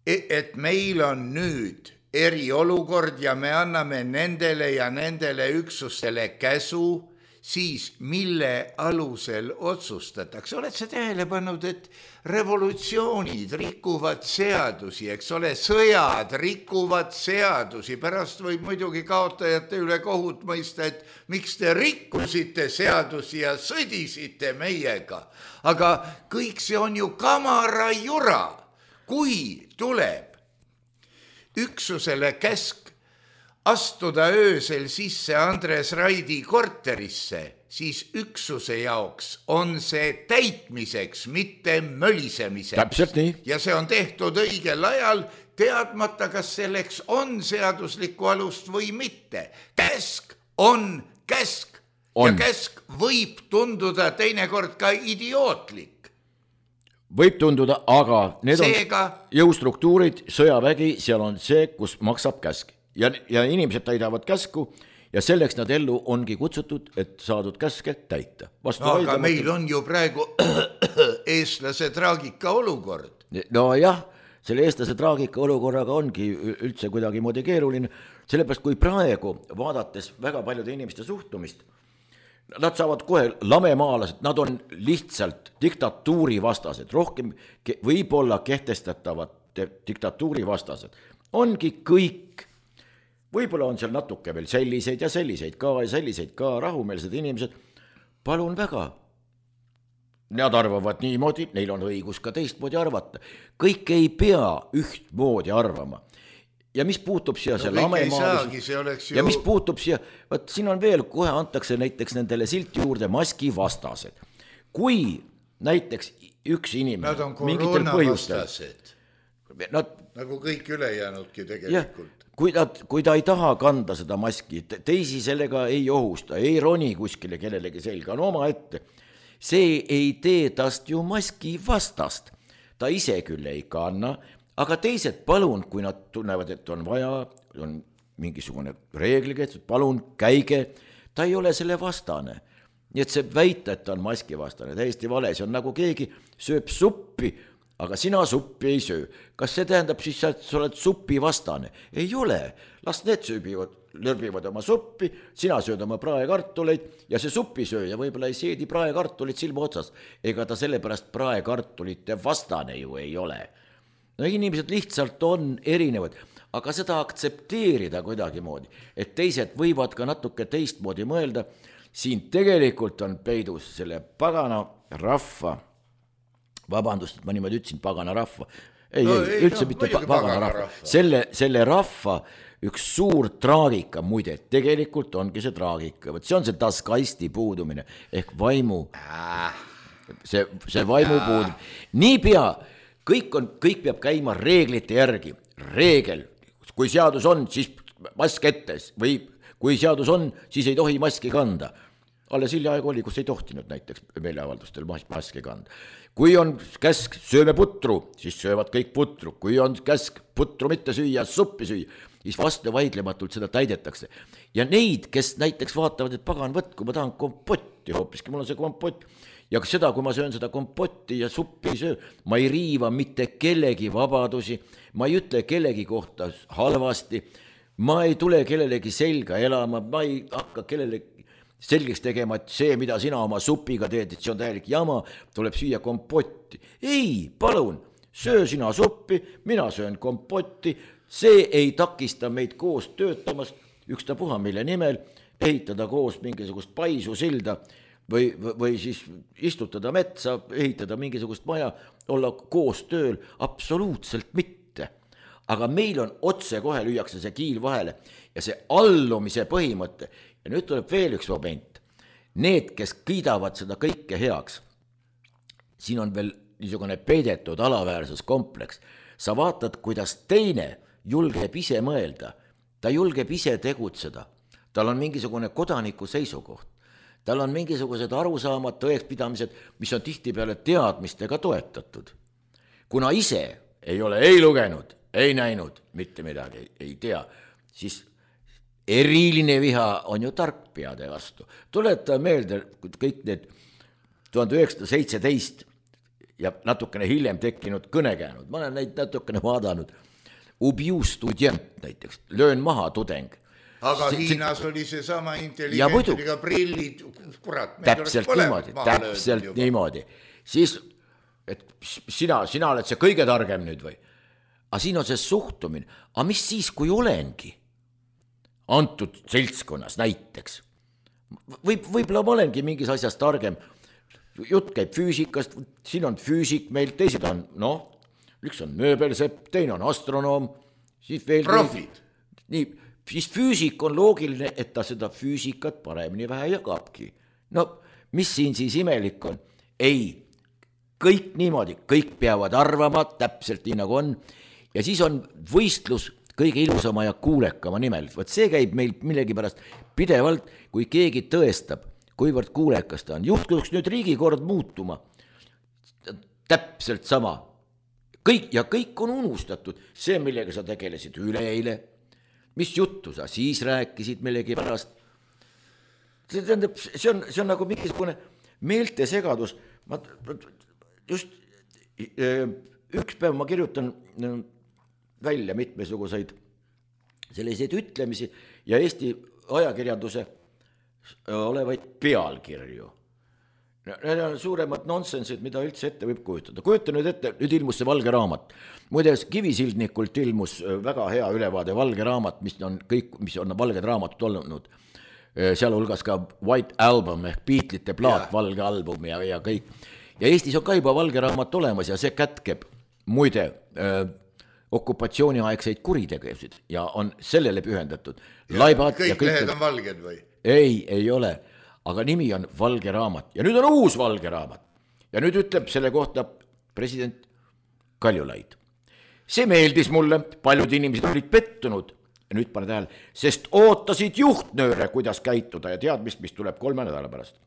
et meil on nüüd eriolukord ja me anname nendele ja nendele üksustele käsu, siis mille alusel otsustatakse? Oled sa tähele pannud, et revolutsioonid rikuvad seadusi, eks ole, sõjad rikuvad seadusi, pärast võib muidugi kaotajate üle kohut mõista, et miks te rikkusite seadusi ja sõdisite meiega. Aga kõik see on ju kamara jura, kui tuleb üksusele käsk astuda öösel sisse Andres Raidi korterisse siis üksuse jaoks on see täitmiseks, mitte mölisemiseks. Täpselt nii. Ja see on tehtud õigel ajal, teadmata, kas selleks on seaduslikku alust või mitte. Käsk on käsk ja käsk võib tunduda teinekord ka idiootlik. Võib tunduda, aga need Seega... on jõustruktuurid, sõjavägi, seal on see, kus maksab käsk. Ja inimesed täidavad käsku ja selleks nad ellu ongi kutsutud, et saadud käske täita. Aga meil on ju praegu eestlase traagika olukord. No jah, selle eestlase traagika olukorraga ongi üldse kuidagimoodi keeruline, sellepärast kui praegu vaadates väga paljude inimeste suhtumist, nad saavad kohe lamemaalased, nad on lihtsalt diktatuuri vastased, rohkem võib-olla kehtestatavad diktatuuri vastased. Ongi kõik, võib-olla on seal natuke veel selliseid ja selliseid ka rahumeelsed inimesed, palun väga. Nad arvavad niimoodi, neil on õigus ka teistmoodi arvata. Kõik ei pea ühtmoodi arvama. Ja mis puutub siia see lamemaalis, ja mis puutub siia, võt siin on veel, kohe antakse näiteks nendele silti juurde maski vastased. Kui näiteks üks inimene nad on koroona vastased, nad, nagu kõik ülejäänudki tegelikult. Kui ta ei taha kanda seda maski, teisi sellega ei ohusta, ei roni kuskile kellelegi selga, on oma ette. See ei tee tast ju maski vastast. Ta ise küll ei kanna, aga teised palun, kui nad tunnevad, et on vaja, on mingisugune reegliga, et palun käige, ta ei ole selle vastane. Nii et see väita, et ta on maski vastane, täiesti vale, see on nagu keegi sööb suppi, aga sina suppi ei söö. Kas see tähendab siis, et sa oled supi vastane? Ei ole, las need lörbivad oma suppi, sina sööd oma praekartuleid ja see supisööja võib-olla ei seedi praekartulit silma otsas, ega ta sellepärast praekartulite vastane ju ei ole. No inimesed lihtsalt on erinevad, aga seda aktsepteerida kuidagimoodi, et teised võivad ka natuke teistmoodi mõelda, siin tegelikult on peidus selle pagana rahva, vabandust, et ma niimoodi ütlesin, pagana rahva, üldse mitte pagana rahva, selle rahva üks suur traagika, muide, tegelikult ongi see traagika, see on see taskaisti puudumine, ehk vaimu, see vaimu puudumine, niipea, kõik peab käima reeglite järgi. Reegel, kui seadus on, siis mask ette või kui seadus on, siis ei tohi maski kanda. Alles hiljaaegu oli, kus ei tohtinud näiteks meeleavaldustel maski kanda. Kui on käsk sööme putru, siis söövad kõik putru. Kui on käsk putru mitte süüa, suppi süüa, siis vastu vaidlematult seda täidetakse. Ja neid, kes näiteks vaatavad, et pagan võtt, kui ma tahan kompotti hoopiski, mul on see kompott. Ja seda, kui ma söön seda kompotti ja suppi söö, ma ei riiva mitte kellegi vabadusi, ma ei ütle kellegi kohta halvasti, ma ei tule kellelegi selga elama, ma ei hakka kellelegi selgeks tegema, et see, mida sina oma supiga teed, et see on täielik jama, tuleb süüa kompotti. Ei, palun, söö sina suppi, mina söön kompotti, see ei takista meid koos töötamast, ükstapuha mille nimel, ehitada koos mingisugust paisu silda, või siis istutada metsa, ehitada mingisugust maja, olla koos tööl, absoluutselt mitte. Aga meil on otse kohe lüüakse see kiil vahele ja see allumise põhimõte. Ja nüüd tuleb veel üks moment. Need, kes kiidavad seda kõike heaks, siin on veel niisugune peidetud alaväärsuskompleks. Sa vaatad, kuidas teine julgeb ise mõelda, ta julgeb ise tegutseda, tal on mingisugune kodaniku seisukoht. Tal on mingisugused arusaamad, tõekspidamised, mis on tihtipeale teadmistega toetatud. Kuna ise ei ole ei lugenud, ei näinud, mitte midagi ei tea, siis eriline viha on ju tarkpeade vastu. Tuleta meelde kõik need 1917 ja natukene hiljem tekkinud kõnekäänud. Ma olen neid natukene vaadanud. Ubiju student näiteks, löön maha tudeng. Aga Hiinas oli see sama intelligentliga prillid, kurat. Täpselt niimoodi. Siis, et sina oled see kõige targem nüüd või? Aga siin on see suhtumine. Aga mis siis, kui olengi antud seltskonnas näiteks? Võib-olla ma olengi mingis asjas targem. Jutt käib füüsikast, siin on füüsik meil, teised on, üks on mööbelsepp, teine on astronoom, siis veel profid. Nii, siis füüsik on loogiline, et ta seda füüsikat paremini vähe jagabki. no mis siin siis imelik on? Ei, kõik niimoodi, kõik peavad arvama täpselt nii nagu on ja siis on võistlus kõige ilusama ja kuulekama nimel. Võt see käib meil millegipärast pidevalt, kui keegi tõestab, kuivõrd kuulekas ta on. Juhtuks nüüd riigikord muutuma. Täpselt sama. Kõik on unustatud. See, millega sa tegelesid üleeile, mis juttu sa siis rääkisid millegipärast. See tähendab, see on nagu mingisugune meeltesegadus. Just üks päev ma kirjutan välja mitmesuguseid selliseid ütlemisi ja Eesti ajakirjanduse olevaid pealkirju. Need on suuremad nonsensid, mida üldse ette võib kujutada. Kujuta nüüd ette, nüüd ilmus see valge raamat. Muides Kivisildnikult ilmus väga hea ülevaade valge raamat, mis on valged raamatud olnud. Seal hulgas ka White Album ehk Beatlesite plaat, valge album ja kõik. Ja Eestis on ka juba valge raamat olemas ja see kätkeb muide okupatsiooniaegseid kuritegevusid ja on sellele pühendatud. Kõik lehed on valged või? Ei ole, aga nimi on valge raamat ja nüüd on uus valge raamat ja nüüd ütleb selle kohta president Kaljulaid. See meeldis mulle, paljud inimesed olid pettunud ja nüüd pane tähele, sest ootasid juhtnööre, kuidas käituda ja teadmist, mis tuleb 3 nädala pärast.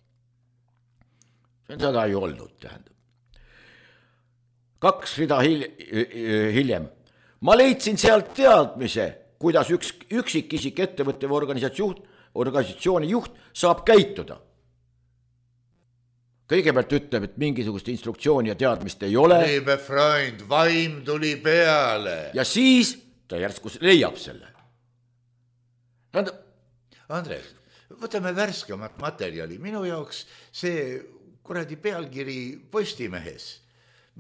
See on seda ei olnud, tähendab. 2 rida hiljem. Ma leidsin sealt teadmise, kuidas üksikisik ettevõtte või organisatsiooni juht saab käituda. Kõigepealt ütleb, et mingisugust instruktsiooni ja teadmist ei ole. Liebe Freund, vaim tuli peale. Ja siis ta järsku leiab selle. Andres, võtame värskemat materjali. Minu jaoks see kuradi pealkiri Postimehes.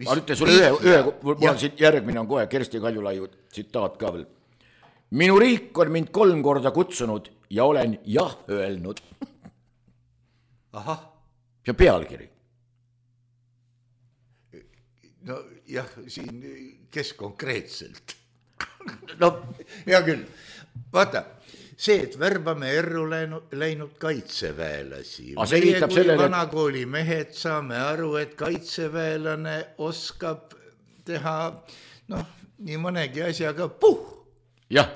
Ma ütlen sulle mul on siin järgmine on kohe Kersti Kaljulaiu tsitaat ka veel. Minu riik on mind 3 korda kutsunud ja olen jah öelnud. Ahah. See on pealkiri. No jah, siin kes konkreetselt? No, hea küll. Vaata, see, et värbame erru läinud kaitseväelasi. Meie kui vanakooli mehed saame aru, et kaitseväelane oskab teha nii mõnegi asjaga Jah.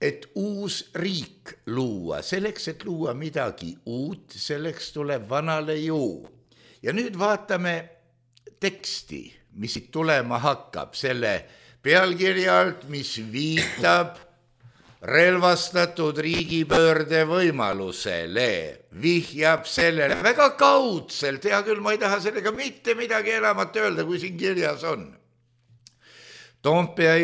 Et uus riik luua, selleks, et luua midagi uut, selleks tuleb vanale juu. Ja nüüd vaatame teksti, mis tulema hakkab selle pealkirja alt, mis viitab relvastatud riigipöörde võimalusele, vihjab sellele väga kaudselt, hea küll, ma ei taha sellega mitte midagi enamat öelda, kui siin kirjas on. Toompea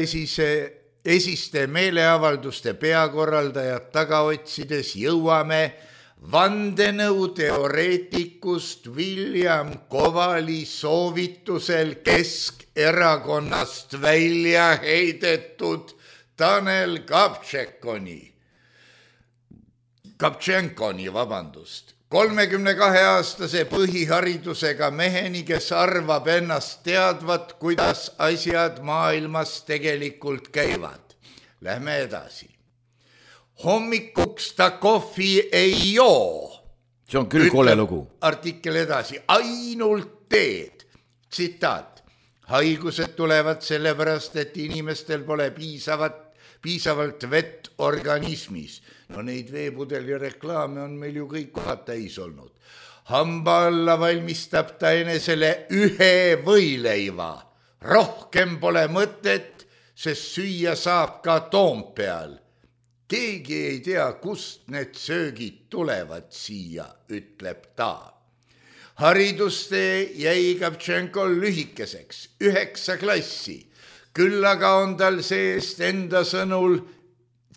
esiste meeleavalduste peakorraldajad taga otsides jõuame vandenõuteoreetikust William Kovali soovitusel Keskerakonnast välja heidetud Tanel Kaptšenkoni, 32-aastase põhiharidusega meheni, kes arvab ennast teadvat, kuidas asjad maailmas tegelikult käivad. Lähme edasi. Hommikuks ta kohvi ei joo. See on küll kole lugu. Artikkel edasi. Ainult teed. Tsitaat. Haigused tulevad sellepärast, et inimestel pole piisavalt vett organismis. No neid veepudeli reklaame on meil ju kõik kohad täis olnud. Hamba alla valmistab ta enesele 1 võileiva. Rohkem pole mõtet, sest süüa saab ka Toompeal. Keegi ei tea, kust need söögid tulevad siia, ütleb ta. Haridustee jäi Kaptšenkol lühikeseks, 9 klassi. Küll aga on tal seest enda sõnul,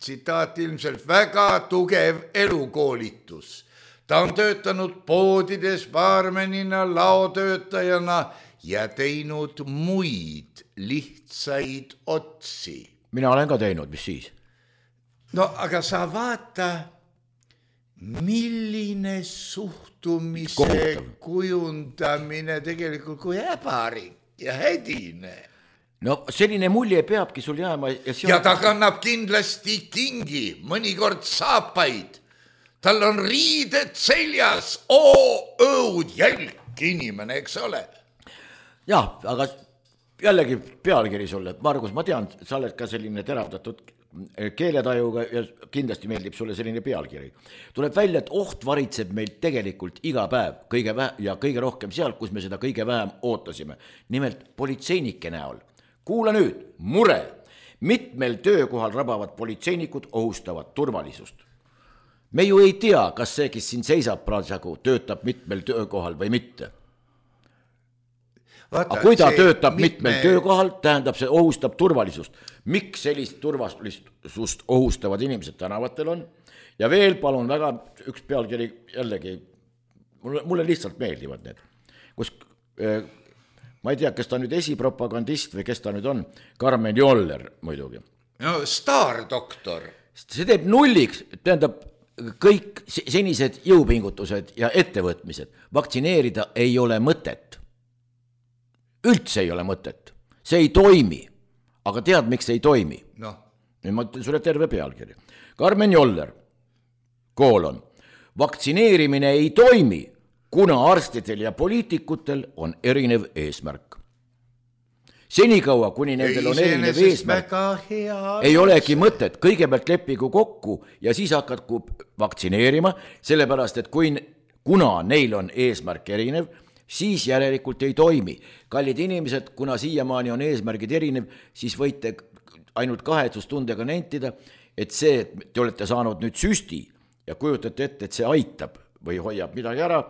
tsitaat ilmselt, väga tugev elukoolitus. Ta on töötanud poodides baarmenina, laotöötajana ja teinud muid lihtsaid otsi. Mina olen ka teinud, mis siis? No aga sa vaata, milline suhtumise kujundamine tegelikult kui äbarik ja hädine. No selline mulje peabki sul jääma. Ja ta kannab kindlasti kingi, mõnikord saapaid. tal on riided seljas, õud, jälk inimene, eks ole. jah, aga jällegi pealkiri sulle, Margus, ma tean, sa oled ka selline teravdatud keeletajuga ja kindlasti meeldib sulle selline pealkiri. Tuleb välja, et oht varitseb meil tegelikult iga päev kõige rohkem seal, kus me seda kõige vähem ootasime. Nimelt politseinike näol. Kuula nüüd, mure. Mitmel töökohal rabavad politseinikud ohustavad turvalisust. Me ju ei tea, kas see, kes siin seisab praegu, töötab mitmel töökohal või mitte. Aga kui ta töötab mitmel töökohal, tähendab see ohustab turvalisust. Miks sellist turvalisust ohustavad inimesed tänavatel on? Ja veel palun väga üks pealkiri jällegi, mulle lihtsalt meeldivad need, kus ma ei tea, kes ta nüüd esipropagandist või kes ta nüüd on, Karmen Joller muidugi. No staardoktor. See teeb nulliks, tähendab kõik senised jõupingutused ja ettevõtmised. Vaktsineerida ei ole mõtet. Üldse ei ole mõtet. See ei toimi. Aga tead, miks see ei toimi? No. Ma ütlen sulle terve pealkiri. Karmen Joller, koolon. Vaktsineerimine ei toimi, kuna arstidel ja poliitikutel on erinev eesmärk. Senikaua, kuni nendel on erinev eesmärk, ei olegi mõtet. Kõigepealt leppigu kokku ja siis hakatku vaktsineerima, sellepärast, et kuna neil on eesmärk erinev, siis järelikult ei toimi. Kallid inimesed, kuna siiamaani on eesmärgid erinev, siis võite ainult kahetsustundega nentida, et see, et te olete saanud nüüd süsti ja kujutate ette, et see aitab või hoiab midagi ära.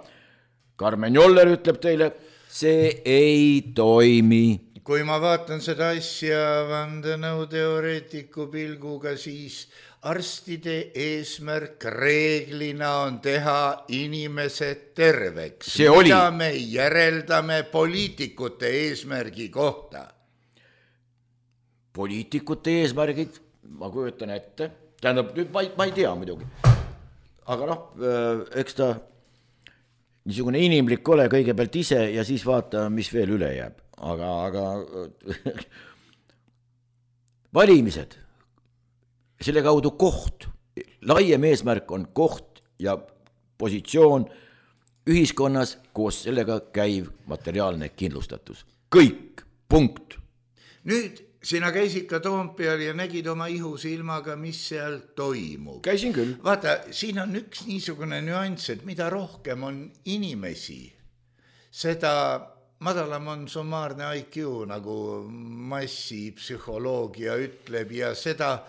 Karmen Joller ütleb teile, see ei toimi. Kui ma vaatan seda asja vandenõuteoreetiku pilguga, siis arstide eesmärk reeglina on teha inimesed terveks. Mida me järeldame poliitikute eesmärgi kohta? Poliitikute eesmärgid, ma kujutan ette, tähendab, nüüd ma ei tea muidugi. Aga eks ta niisugune inimlik ole kõigepealt ise ja siis vaata, mis veel üle jääb. Aga valimised, selle kaudu koht, laiem eesmärk on koht ja positsioon ühiskonnas koos sellega käiv materiaalne kindlustatus. Kõik, punkt. Nüüd sina käisid ka Toompeal ja nägid oma ihusilmaga, mis seal toimub. Käisin küll. Vaata, siin on üks niisugune nüanss, et mida rohkem on inimesi, seda madalam on summaarne IQ, nagu massipsühholoogia ütleb, ja seda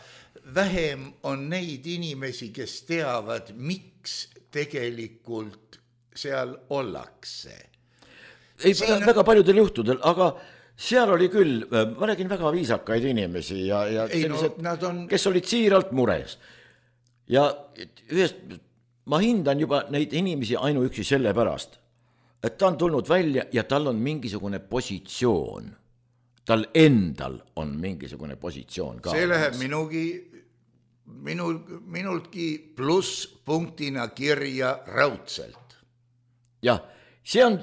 vähem on neid inimesi, kes teavad, miks tegelikult seal ollakse. Ei, väga paljudel juhtudel, aga seal oli küll, ma nägin väga viisakaid inimesi ja sellised, kes olid siiralt mures. Ja ma hindan juba neid inimesi ainuüksi selle pärast, et ta on tulnud välja ja tal on mingisugune positsioon. Tal endal on mingisugune positsioon ka. See läheb minultki plusspunktina kirja raudselt. Jah, see on,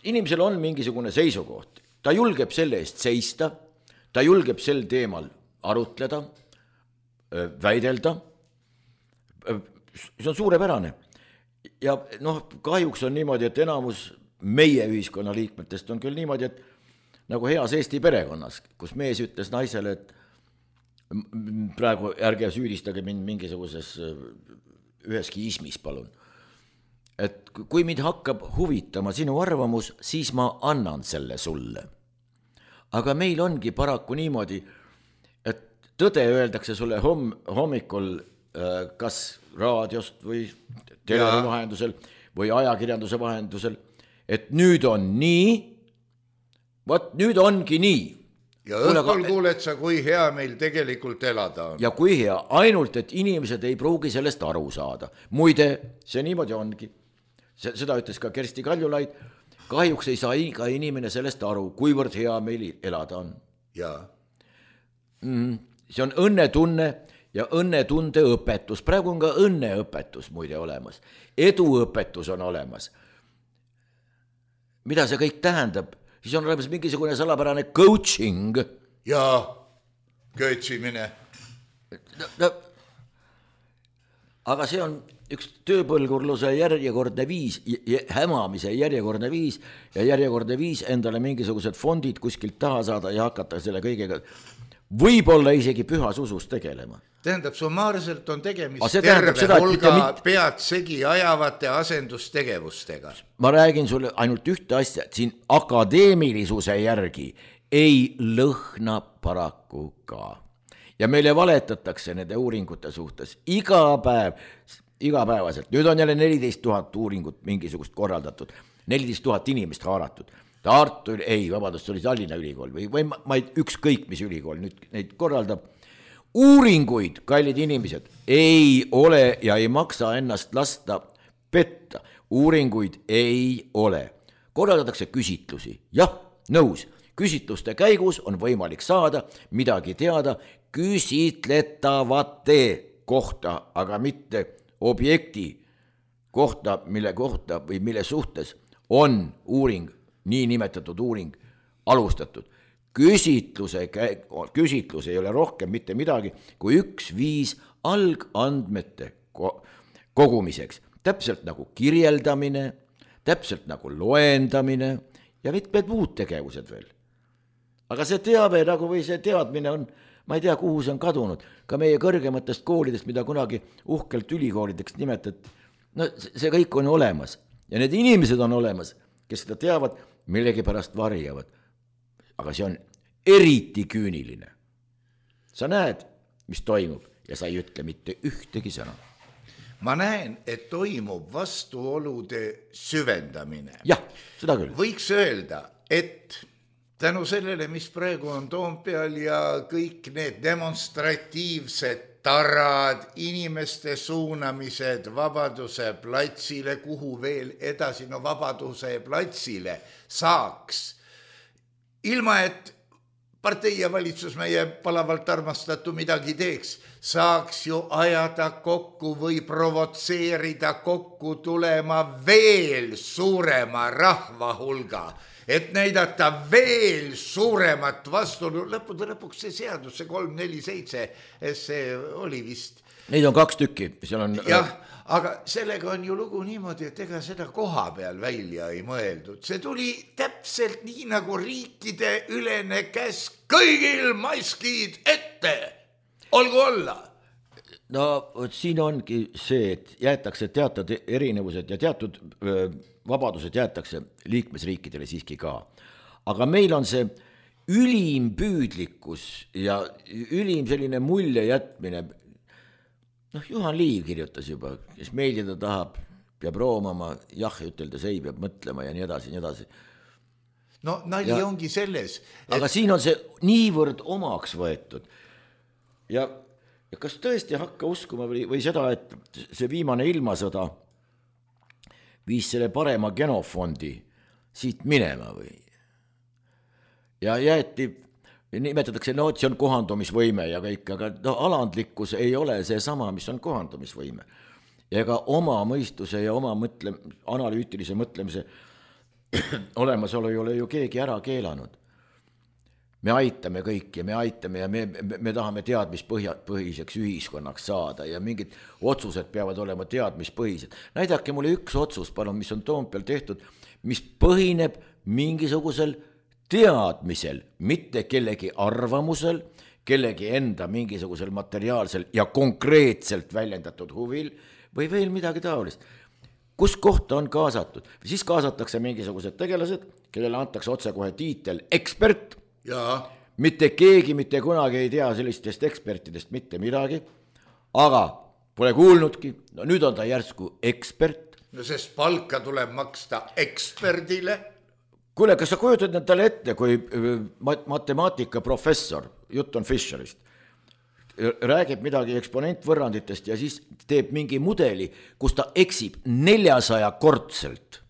inimesel on mingisugune seisukoht. Ta julgeb selle eest seista, ta julgeb sel teemal arutleda, väidelda. See on suurepärane. Ja kahjuks on niimoodi, et enamus meie ühiskonna liikmetest on küll niimoodi, et nagu heas Eesti perekonnas, kus mees ütles naisele, et praegu ärge süüdistage mind mingisuguses üheski ismis, palun. Et kui mind hakkab huvitama sinu arvamus, siis ma annan selle sulle. Aga meil ongi paraku niimoodi, et tõde öeldakse sulle hommikul kas raadiost või televisioni vahendusel või ajakirjanduse vahendusel, et nüüd on nii, vot nüüd ongi nii. Ja õhtul kuuled sa, kui hea meil tegelikult elada on. Ja kui hea, ainult, et inimesed ei pruugi sellest aru saada. Muide, see niimoodi ongi. Seda ütles ka Kersti Kaljulaid, kahjuks ei saa iga inimene sellest aru, kuivõrd hea meil elada on. Jaa. See on õnnetunne ja õnnetunde õpetus. Praegu on ka õnneõpetus muide olemas. Eduõpetus on olemas. Mida see kõik tähendab? Siis on olemas mingisugune salapärane coaching. Jaa, köötsimine. aga see on üks tööpõlgurluse järjekordne viis, hämamise järjekordne viis ja järjekordne viis endale mingisugused fondid kuskilt taha saada ja hakata selle kõigega võib-olla isegi pühas usus tegelema. Tähendab, summaarselt on tegemist terve hulga pead segi ajavate asendustegevustega. Ma räägin sulle ainult ühte asja, et siin akadeemilisuse järgi ei lõhna paraku ka. Ja meile valetatakse nende uuringute suhtes igapäevaselt. Nüüd on jälle 14 000 uuringut mingisugust korraldatud, 14 000 inimest haaratud. Tartu, vabandust, see oli Tallinna ülikool või ma ei ükskõik, mis ülikool nüüd neid korraldab. Uuringuid, kallid inimesed, ei ole ja ei maksa ennast lasta petta. Uuringuid ei ole. Korraldatakse küsitlusi. Jah, nõus. Küsitluste käigus on võimalik saada midagi teada küsitletavate kohta, aga mitte objekti kohta, mille kohta või mille suhtes on uuring, nii nimetatud uuring alustatud. Küsitlus ei ole rohkem mitte midagi kui 1-5 algandmete kogumiseks. Täpselt nagu kirjeldamine, täpselt nagu loendamine ja mitmed muud tegevused veel. Aga see teave nagu või see teadmine on, ma ei tea, kuhu see on kadunud, ka meie kõrgematest koolidest, mida kunagi uhkelt ülikoolideks nimetati. No see kõik on olemas ja need inimesed on olemas, kes seda teavad, millegi pärast varjavad. Aga see on eriti küüniline. Sa näed, mis toimub ja sa ei ütle mitte ühtegi sõna. Ma näen, et toimub vastuolude süvendamine. Jah, seda küll. Võiks öelda, et tänu sellele, mis praegu on Toompeal ja kõik need demonstratiivsed tarad, inimeste suunamised Vabaduse platsile, kuhu veel edasi, no Vabaduse platsile saaks, ilma et partei ja valitsus meie palavalt armastatu midagi teeks, saaks ju ajada kokku või provotseerida kokku tulema veel suurema rahva hulga, et näidata veel suuremat vastuolu. Lõpuks see seadus, see 347, see oli vist. Neid on 2 tükki. Jah, aga sellega on ju lugu niimoodi, et ega seda koha peal välja ei mõeldud. See tuli täpselt nii nagu riikide ülene käsk, kõigil maskid ette, olgu olla. No siin ongi see, et jäetakse teatud erinevused ja teatud vabadused jäetakse liikmesriikidele siiski ka. Aga meil on see ülim püüdlikkus ja ülim selline mulje jätmine. Juhan Liiv kirjutas juba, kes meeldida tahab, peab roomama, jah, üteldes ei, peab mõtlema ja nii edasi, nii edasi. No nali ongi selles. Aga siin on see niivõrd omaks võetud. Ja kas tõesti hakka uskuma või seda, et see viimane ilmasõda viis selle parema genofondi siit minema või? Ja jäeti, nimetatakse, et see on kohandumisvõime ja kõik, aga alandlikkus ei ole see sama, mis on kohandumisvõime. Ja ega oma mõistuse ja oma analüütilise mõtlemise olemasolu ei ole ju keegi ära keelanud. Me aitame kõik ja me aitame ja me tahame teadmispõhiseks ühiskonnaks saada ja mingid otsused peavad olema teadmispõhised. Näidake mulle üks otsus, palun, mis on Toompeal tehtud, mis põhineb mingisugusel teadmisel, mitte kellegi arvamusel, kellegi enda mingisugusel materiaalsel ja konkreetselt väljendatud huvil või veel midagi taolist. Kus kohta on kaasatud? Siis kaasatakse mingisugused tegelased, kellele antakse otsekohe tiitel ekspert. Ja. Mitte keegi mitte kunagi ei tea sellistest ekspertidest mitte midagi, aga pole kuulnudki, no nüüd on ta järsku ekspert. No sest palka tuleb maksta eksperdile. Kuule, kas sa kujutad talle ette, kui matemaatikaprofessor, jutt on Fischerist, räägib midagi eksponentvõrranditest ja siis teeb mingi mudeli, kus ta eksib 400-kordselt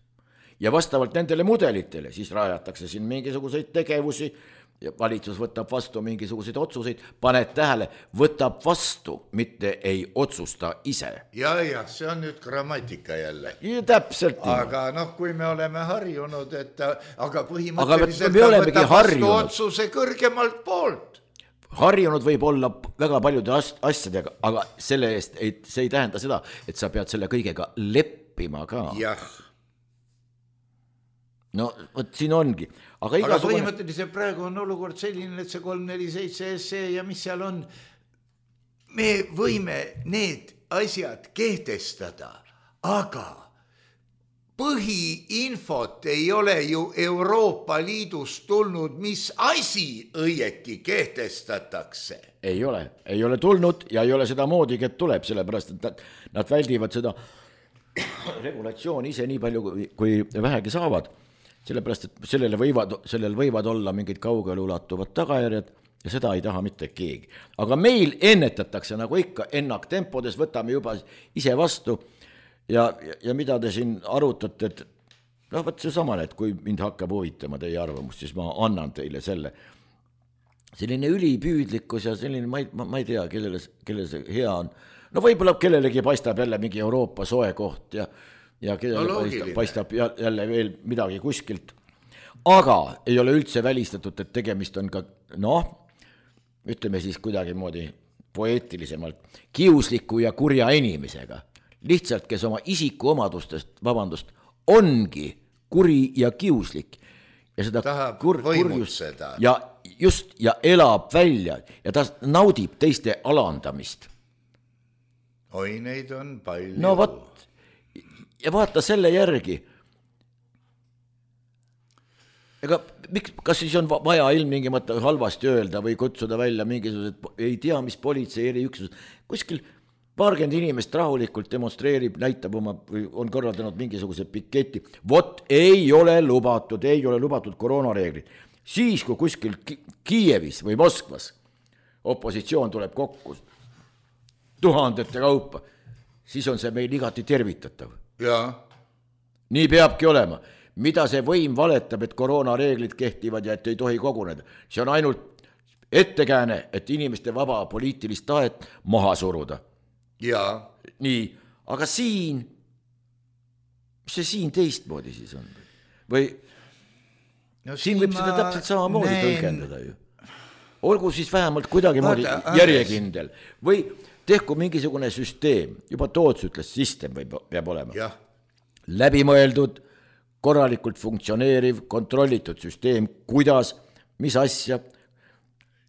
ja vastavalt nendele mudelitele siis rajatakse siin mingisuguseid tegevusi ja valitsus võtab vastu mingisuguseid otsuseid, paned tähele, võtab vastu, mitte ei otsusta ise. Ja, see on nüüd grammatika jälle. Ja täpselt. Aga kui me oleme harjunud, et aga põhimõtteliselt me võtab vastu otsuse kõrgemalt poolt. harjunud võib olla väga paljude asjadega, aga selle eest see ei tähenda seda, et sa pead selle kõigega leppima ka. jah. No vot siin ongi. Aga põhimõtteliselt praegu on olukord selline, et see 347 SE ja mis seal on, me võime need asjad kehtestada, aga põhiinfot ei ole ju Euroopa Liidust tulnud, mis asi õieti kehtestatakse. Ei ole tulnud ja ei ole seda moodigi, et tuleb, sellepärast, et nad väldivad seda regulatsiooni ise nii palju, kui vähegi saavad, sellepärast, et sellel võivad olla mingid kaugele ulatuvad tagajärjed ja seda ei taha mitte keegi. Aga meil ennetatakse nagu ikka ennaktempodes, võtame juba ise vastu. Ja mida te siin arutate, et võt see samane, et kui mind hakkab huvitama teie arvamust, siis ma annan teile selle. Selline ülipüüdlikkus ja selline, ma ei tea, kellele see hea on. No võib-olla kellelegi paistab jälle mingi Euroopa soe koht ja kellele paistab jälle veel midagi kuskilt. Aga ei ole üldse välistatud, et tegemist on ka, ütleme siis kuidagi moodi poeetilisemalt, kiusliku ja kurja inimesega. Lihtsalt, kes oma isiku omadustest, ongi kuri ja kiuslik ja seda tahab võimutseda ja elab välja ja ta naudib teiste alandamist. Oi, neid on palju. No võt, ja vaata selle järgi. Ega kas siis on vaja ilmtingimata halvasti öelda või kutsuda välja mingisugused, ei tea, mis politsei eriüksus, kuskil paarkümmend inimest rahulikult demonstreerib, näitab oma, või on korraldanud mingisuguse piketi. Vot ei ole lubatud koroonareeglid. Siis, kui kuskil Kiievis või Moskvas opositsioon tuleb kokku tuhandete kaupa, siis on see meil igati tervitatav. Ja. Nii peabki olema. Mida see võim valetab, et koroonareeglid kehtivad ja et ei tohi koguneda? See on ainult ettekääne, et inimeste vaba poliitilist tahet maha suruda. Jaa. Nii, aga siin, mis see siin teistmoodi siis on? Või siin võib seda täpselt samamoodi tõlgendada ju. Olgu siis vähemalt kuidagi moodi järjekindel. Või tehku mingisugune süsteem, juba Toots ütles, system peab olema. Ja. Läbimõeldud, korralikult funktsioneeriv, kontrollitud süsteem, kuidas, mis asja,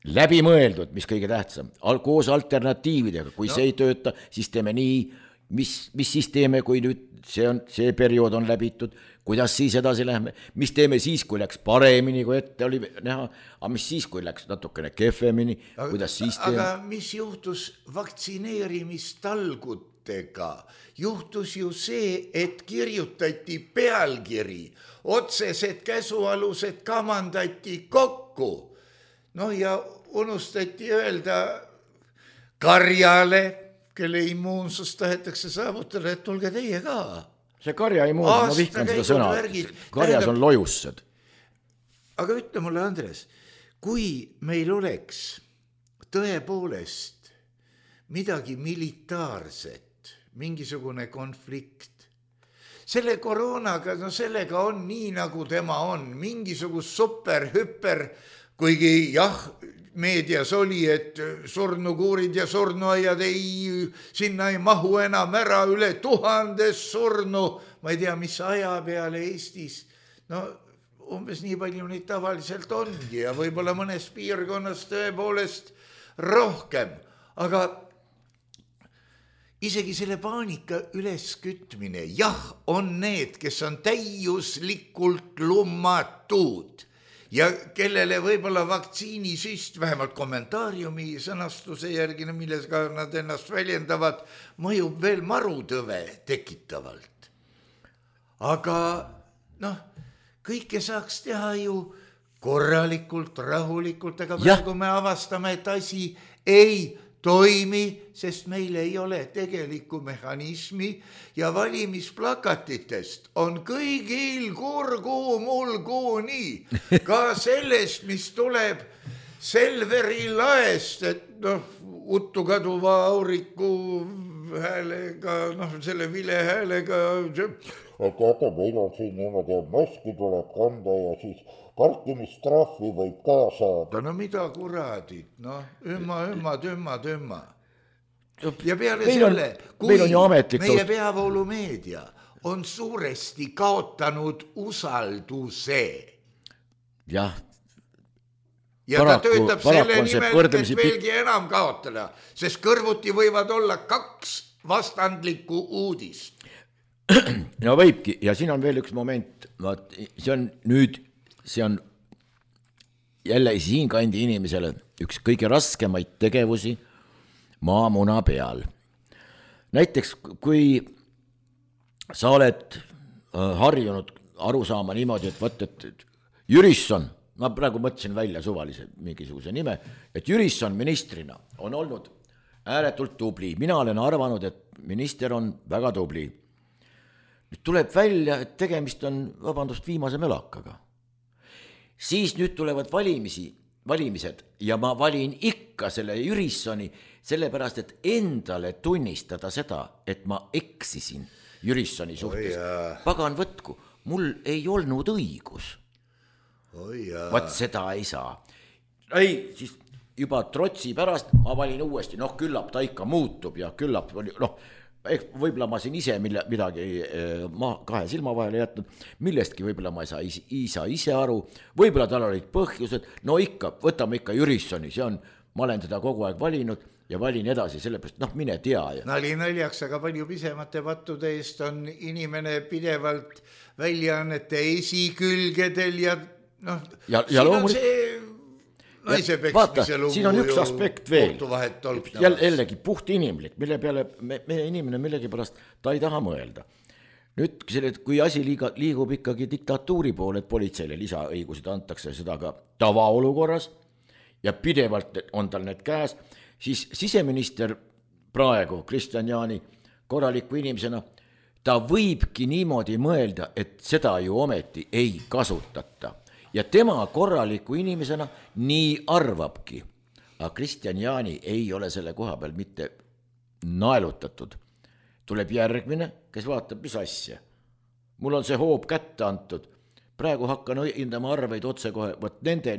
läbimõeldud, mis kõige tähtsam, koos alternatiividega, kui see ei tööta, siis teeme nii, mis siis teeme, kui nüüd see periood on läbitud, kuidas siis edasi lähme, mis teeme siis, kui läks paremini, kui ette oli näha, aga mis siis, kui läks natukene kehvemini, kuidas siis teeme. Aga mis juhtus vaktsineerimistalgutega? Juhtus ju see, et kirjutati pealkiri, otsesed käsualused kamandati kokku. Ja unustati öelda karjale, kelle immuunsus tahetakse saavutada, et tulge teie ka. See karja immuunsus, ma vihkan seda sõna, karjas on lojussed. Aga ütle mulle, Andres, kui meil oleks tõepoolest midagi militaarset, mingisugune konflikt, selle koroonaga, sellega on nii, nagu tema on, mingisugust superhüper, kuigi jah, meedias oli, et surnukuurid ja surnuaiad sinna ei mahu enam ära, üle 1000 surnu, ma ei tea, mis aja peale Eestis. Umbes nii palju neid tavaliselt ongi ja võib-olla mõnes piirkonnas tõepoolest rohkem, aga isegi selle paanika üleskütmine, jah, on need, kes on täiuslikult lummatud ja kellele võib-olla vaktsiinisüst, vähemalt kommentaariumi sõnastuse järgi, millega nad ennast väljendavad, mõjub veel marutõve tekitavalt. Aga kõike saaks teha ju korralikult, rahulikult, aga praegu me avastame, et asi ei toimi, sest meil ei ole tegelikku mehhanismi ja valimisplakatitest on kõigil kurgu mulgu nii. Ka sellest, mis tuleb Selveri laest, et uttu kaduva auriku häälega, selle vile häälega. Teate, meil on siin niimoodi, maski tuleb kanda ja siis parkimistrahvi võib ka saada. No mida kuradid, tümma. Ja peale selle, kui meie peavoolumeedia on suuresti kaotanud usalduse. Jah. Ja ta töötab selle nimel, et veelgi enam kaotada, sest kõrvuti võivad olla 2 vastandlikku uudist. No võibki, ja siin on veel üks moment, see on jälle siin kandi inimesele üks kõige raskemaid tegevusi maamuna peal. Näiteks, kui sa oled harjunud aru saama niimoodi, et Jürisson, ma praegu mõtlesin välja suvalise mingisuguse nime, et Jürisson ministrina on olnud ääretult tubli. Mina olen arvanud, et minister on väga tubli. Nüüd tuleb välja, et tegemist on, viimase mölakaga. Siis nüüd tulevad valimised ja ma valin ikka selle Jürissoni, sellepärast, et endale tunnistada seda, et ma eksisin Jürissoni suhtes. Pagan võtku, mul ei olnud õigus. Vaat seda ei saa. Ei, siis juba trotsi pärast ma valin uuesti, küllap ta ikka muutub ja küllap, võib-olla ma siin ise midagi kahe silma vahele jätnud, millestki võib-olla ma ei saa ise aru, võib-olla tal olid põhjused, võtame ikka Jürissoni, ma olen teda kogu aeg valinud ja valin edasi, sellepärast, mine tea. Nali naljaks, aga palju pisemate pattude eest on inimene pidevalt väljaannete esikülgedel ja loomulikult. Vaata, siin on üks aspekt veel, jällegi puht inimlik, mille peale meie inimene millegipärast ta ei taha mõelda. Nüüd, kui asi liigub ikkagi diktatuuri poole, et politseile lisaõigused antakse seda ka tavaolukorras ja pidevalt on tal need käes, siis siseminister praegu, Kristian Jaani, korraliku inimesena, ta võibki niimoodi mõelda, et seda ju ometi ei kasutata. Ja tema korraliku inimesena nii arvabki. Aga Kristian Jaani ei ole selle koha peal mitte naelutatud. Tuleb järgmine, kes vaatab, mis asja. Mul on see hoob kätte antud. Praegu hakkan hindama arveid otse kohe, võt nende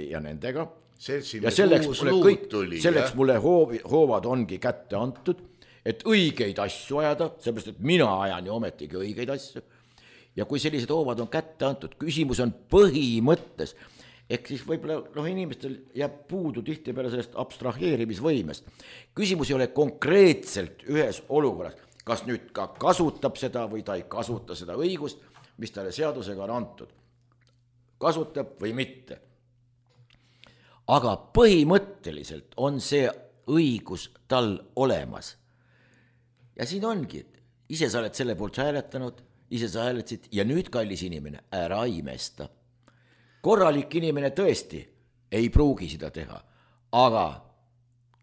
ja nendega. Ja selleks mulle hoovad ongi kätte antud, et õigeid asju ajada, sellepärast, et mina ajan ju ometigi õigeid asju. Ja kui sellised hoovad on kätte antud, küsimus on põhimõttes, ehk siis võib-olla inimestel jääb puudu tihtipeale sellest abstraheerimisvõimest. Küsimus ei ole konkreetselt ühes olukorras, kas nüüd ka kasutab seda või ta ei kasuta seda õigust, mis talle seadusega on antud. Kasutab või mitte. Aga põhimõtteliselt on see õigus tal olemas. Ja siin ongi, et ise sa oled selle poolt hääletanud, ise sa hääletasid ja nüüd kallis inimene, ära imesta. Korralik inimene tõesti ei pruugi seda teha, aga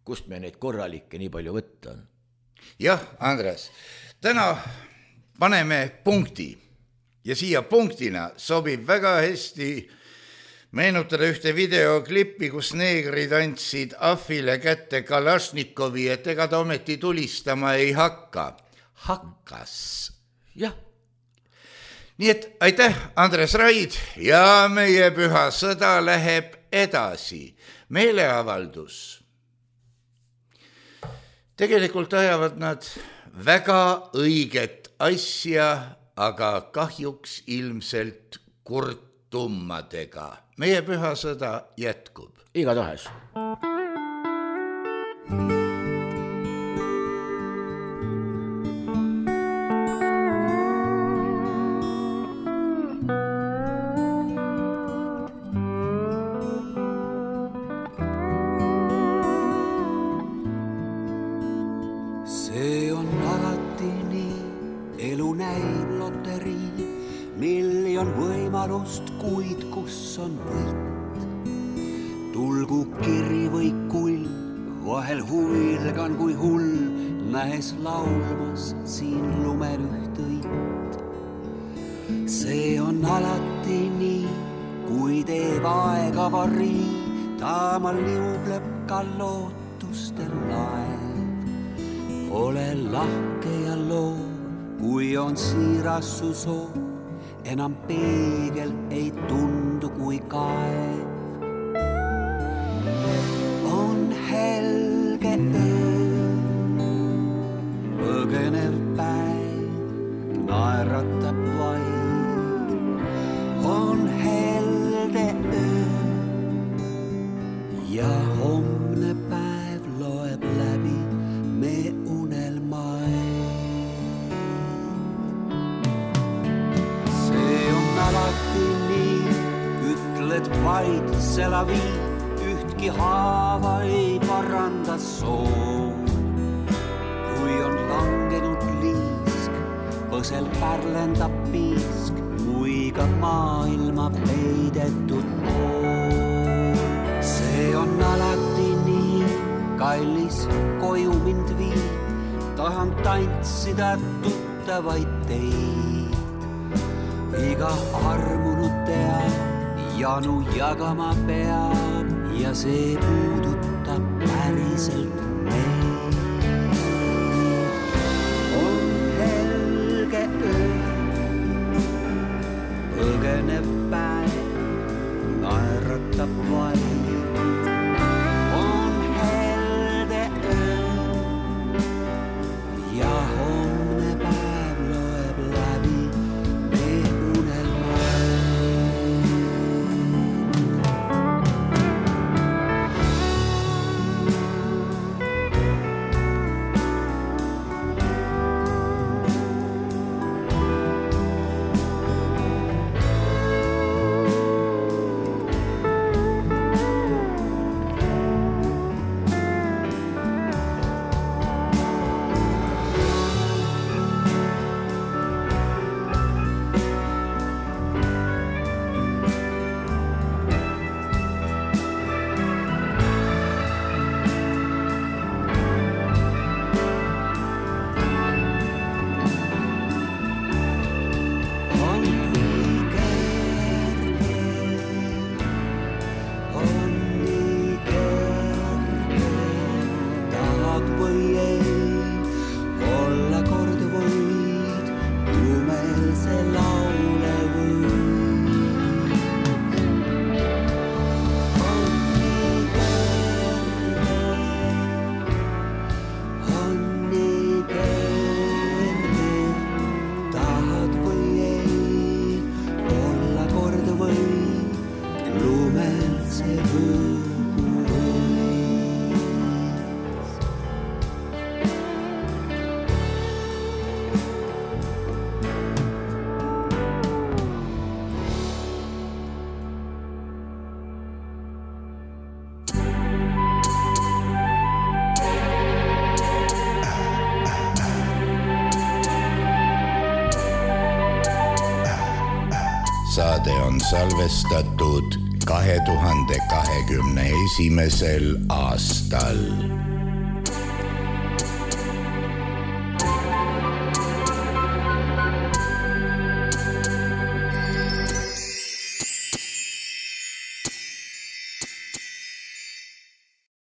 kust me neid korralikke nii palju võtta on? Jah, Andres, täna paneme punkti ja siia punktina sobib väga hästi meenutada ühte videoklippi, kus neegrid andsid Ahvile kätte Kalašnikovi, et ega ta ometi tulistama ei hakka. Hakkas. Jah. Nii et aitäh, Andres Raid, ja meie püha sõda läheb edasi. Meeleavaldus. Tegelikult ajavad nad väga õiget asja, aga kahjuks ilmselt kurtummadega. Meie püha sõda jätkub. Igatahes. Kuid kus on võit, tulgu kiri või kull, vahel huvilgan kui hull, nähes laulmas siin lumel üht õit. See on alati nii, kui teeb aega varri, taamal liubleb ka lootustel laev. ole lahke ja loo, kui on siiras su soov, enam peegel ei tundu kui kaev. On helge öö, põgenev päev, naeratab vaid. On helde öö ja homne päev loeb läbi me unelmaid. See on alati nii, ütled vaid selavi, ühtki haava ei paranda soov. Kui on langenud liisk, põsel pärlendab piisk, muiga maailma peidetud pool. See on alati nii, kallis koju mind vii, tahan tantsida tuttavaid teid. Iga armunud teab, janu jagama peab ja see puudutab päriselt meid. On helge öö, põgenev päev, naeratab vaid. On helde öö ja homne päev loeb läbi me unelmaid. Saade on salvestatud 2021. aastal.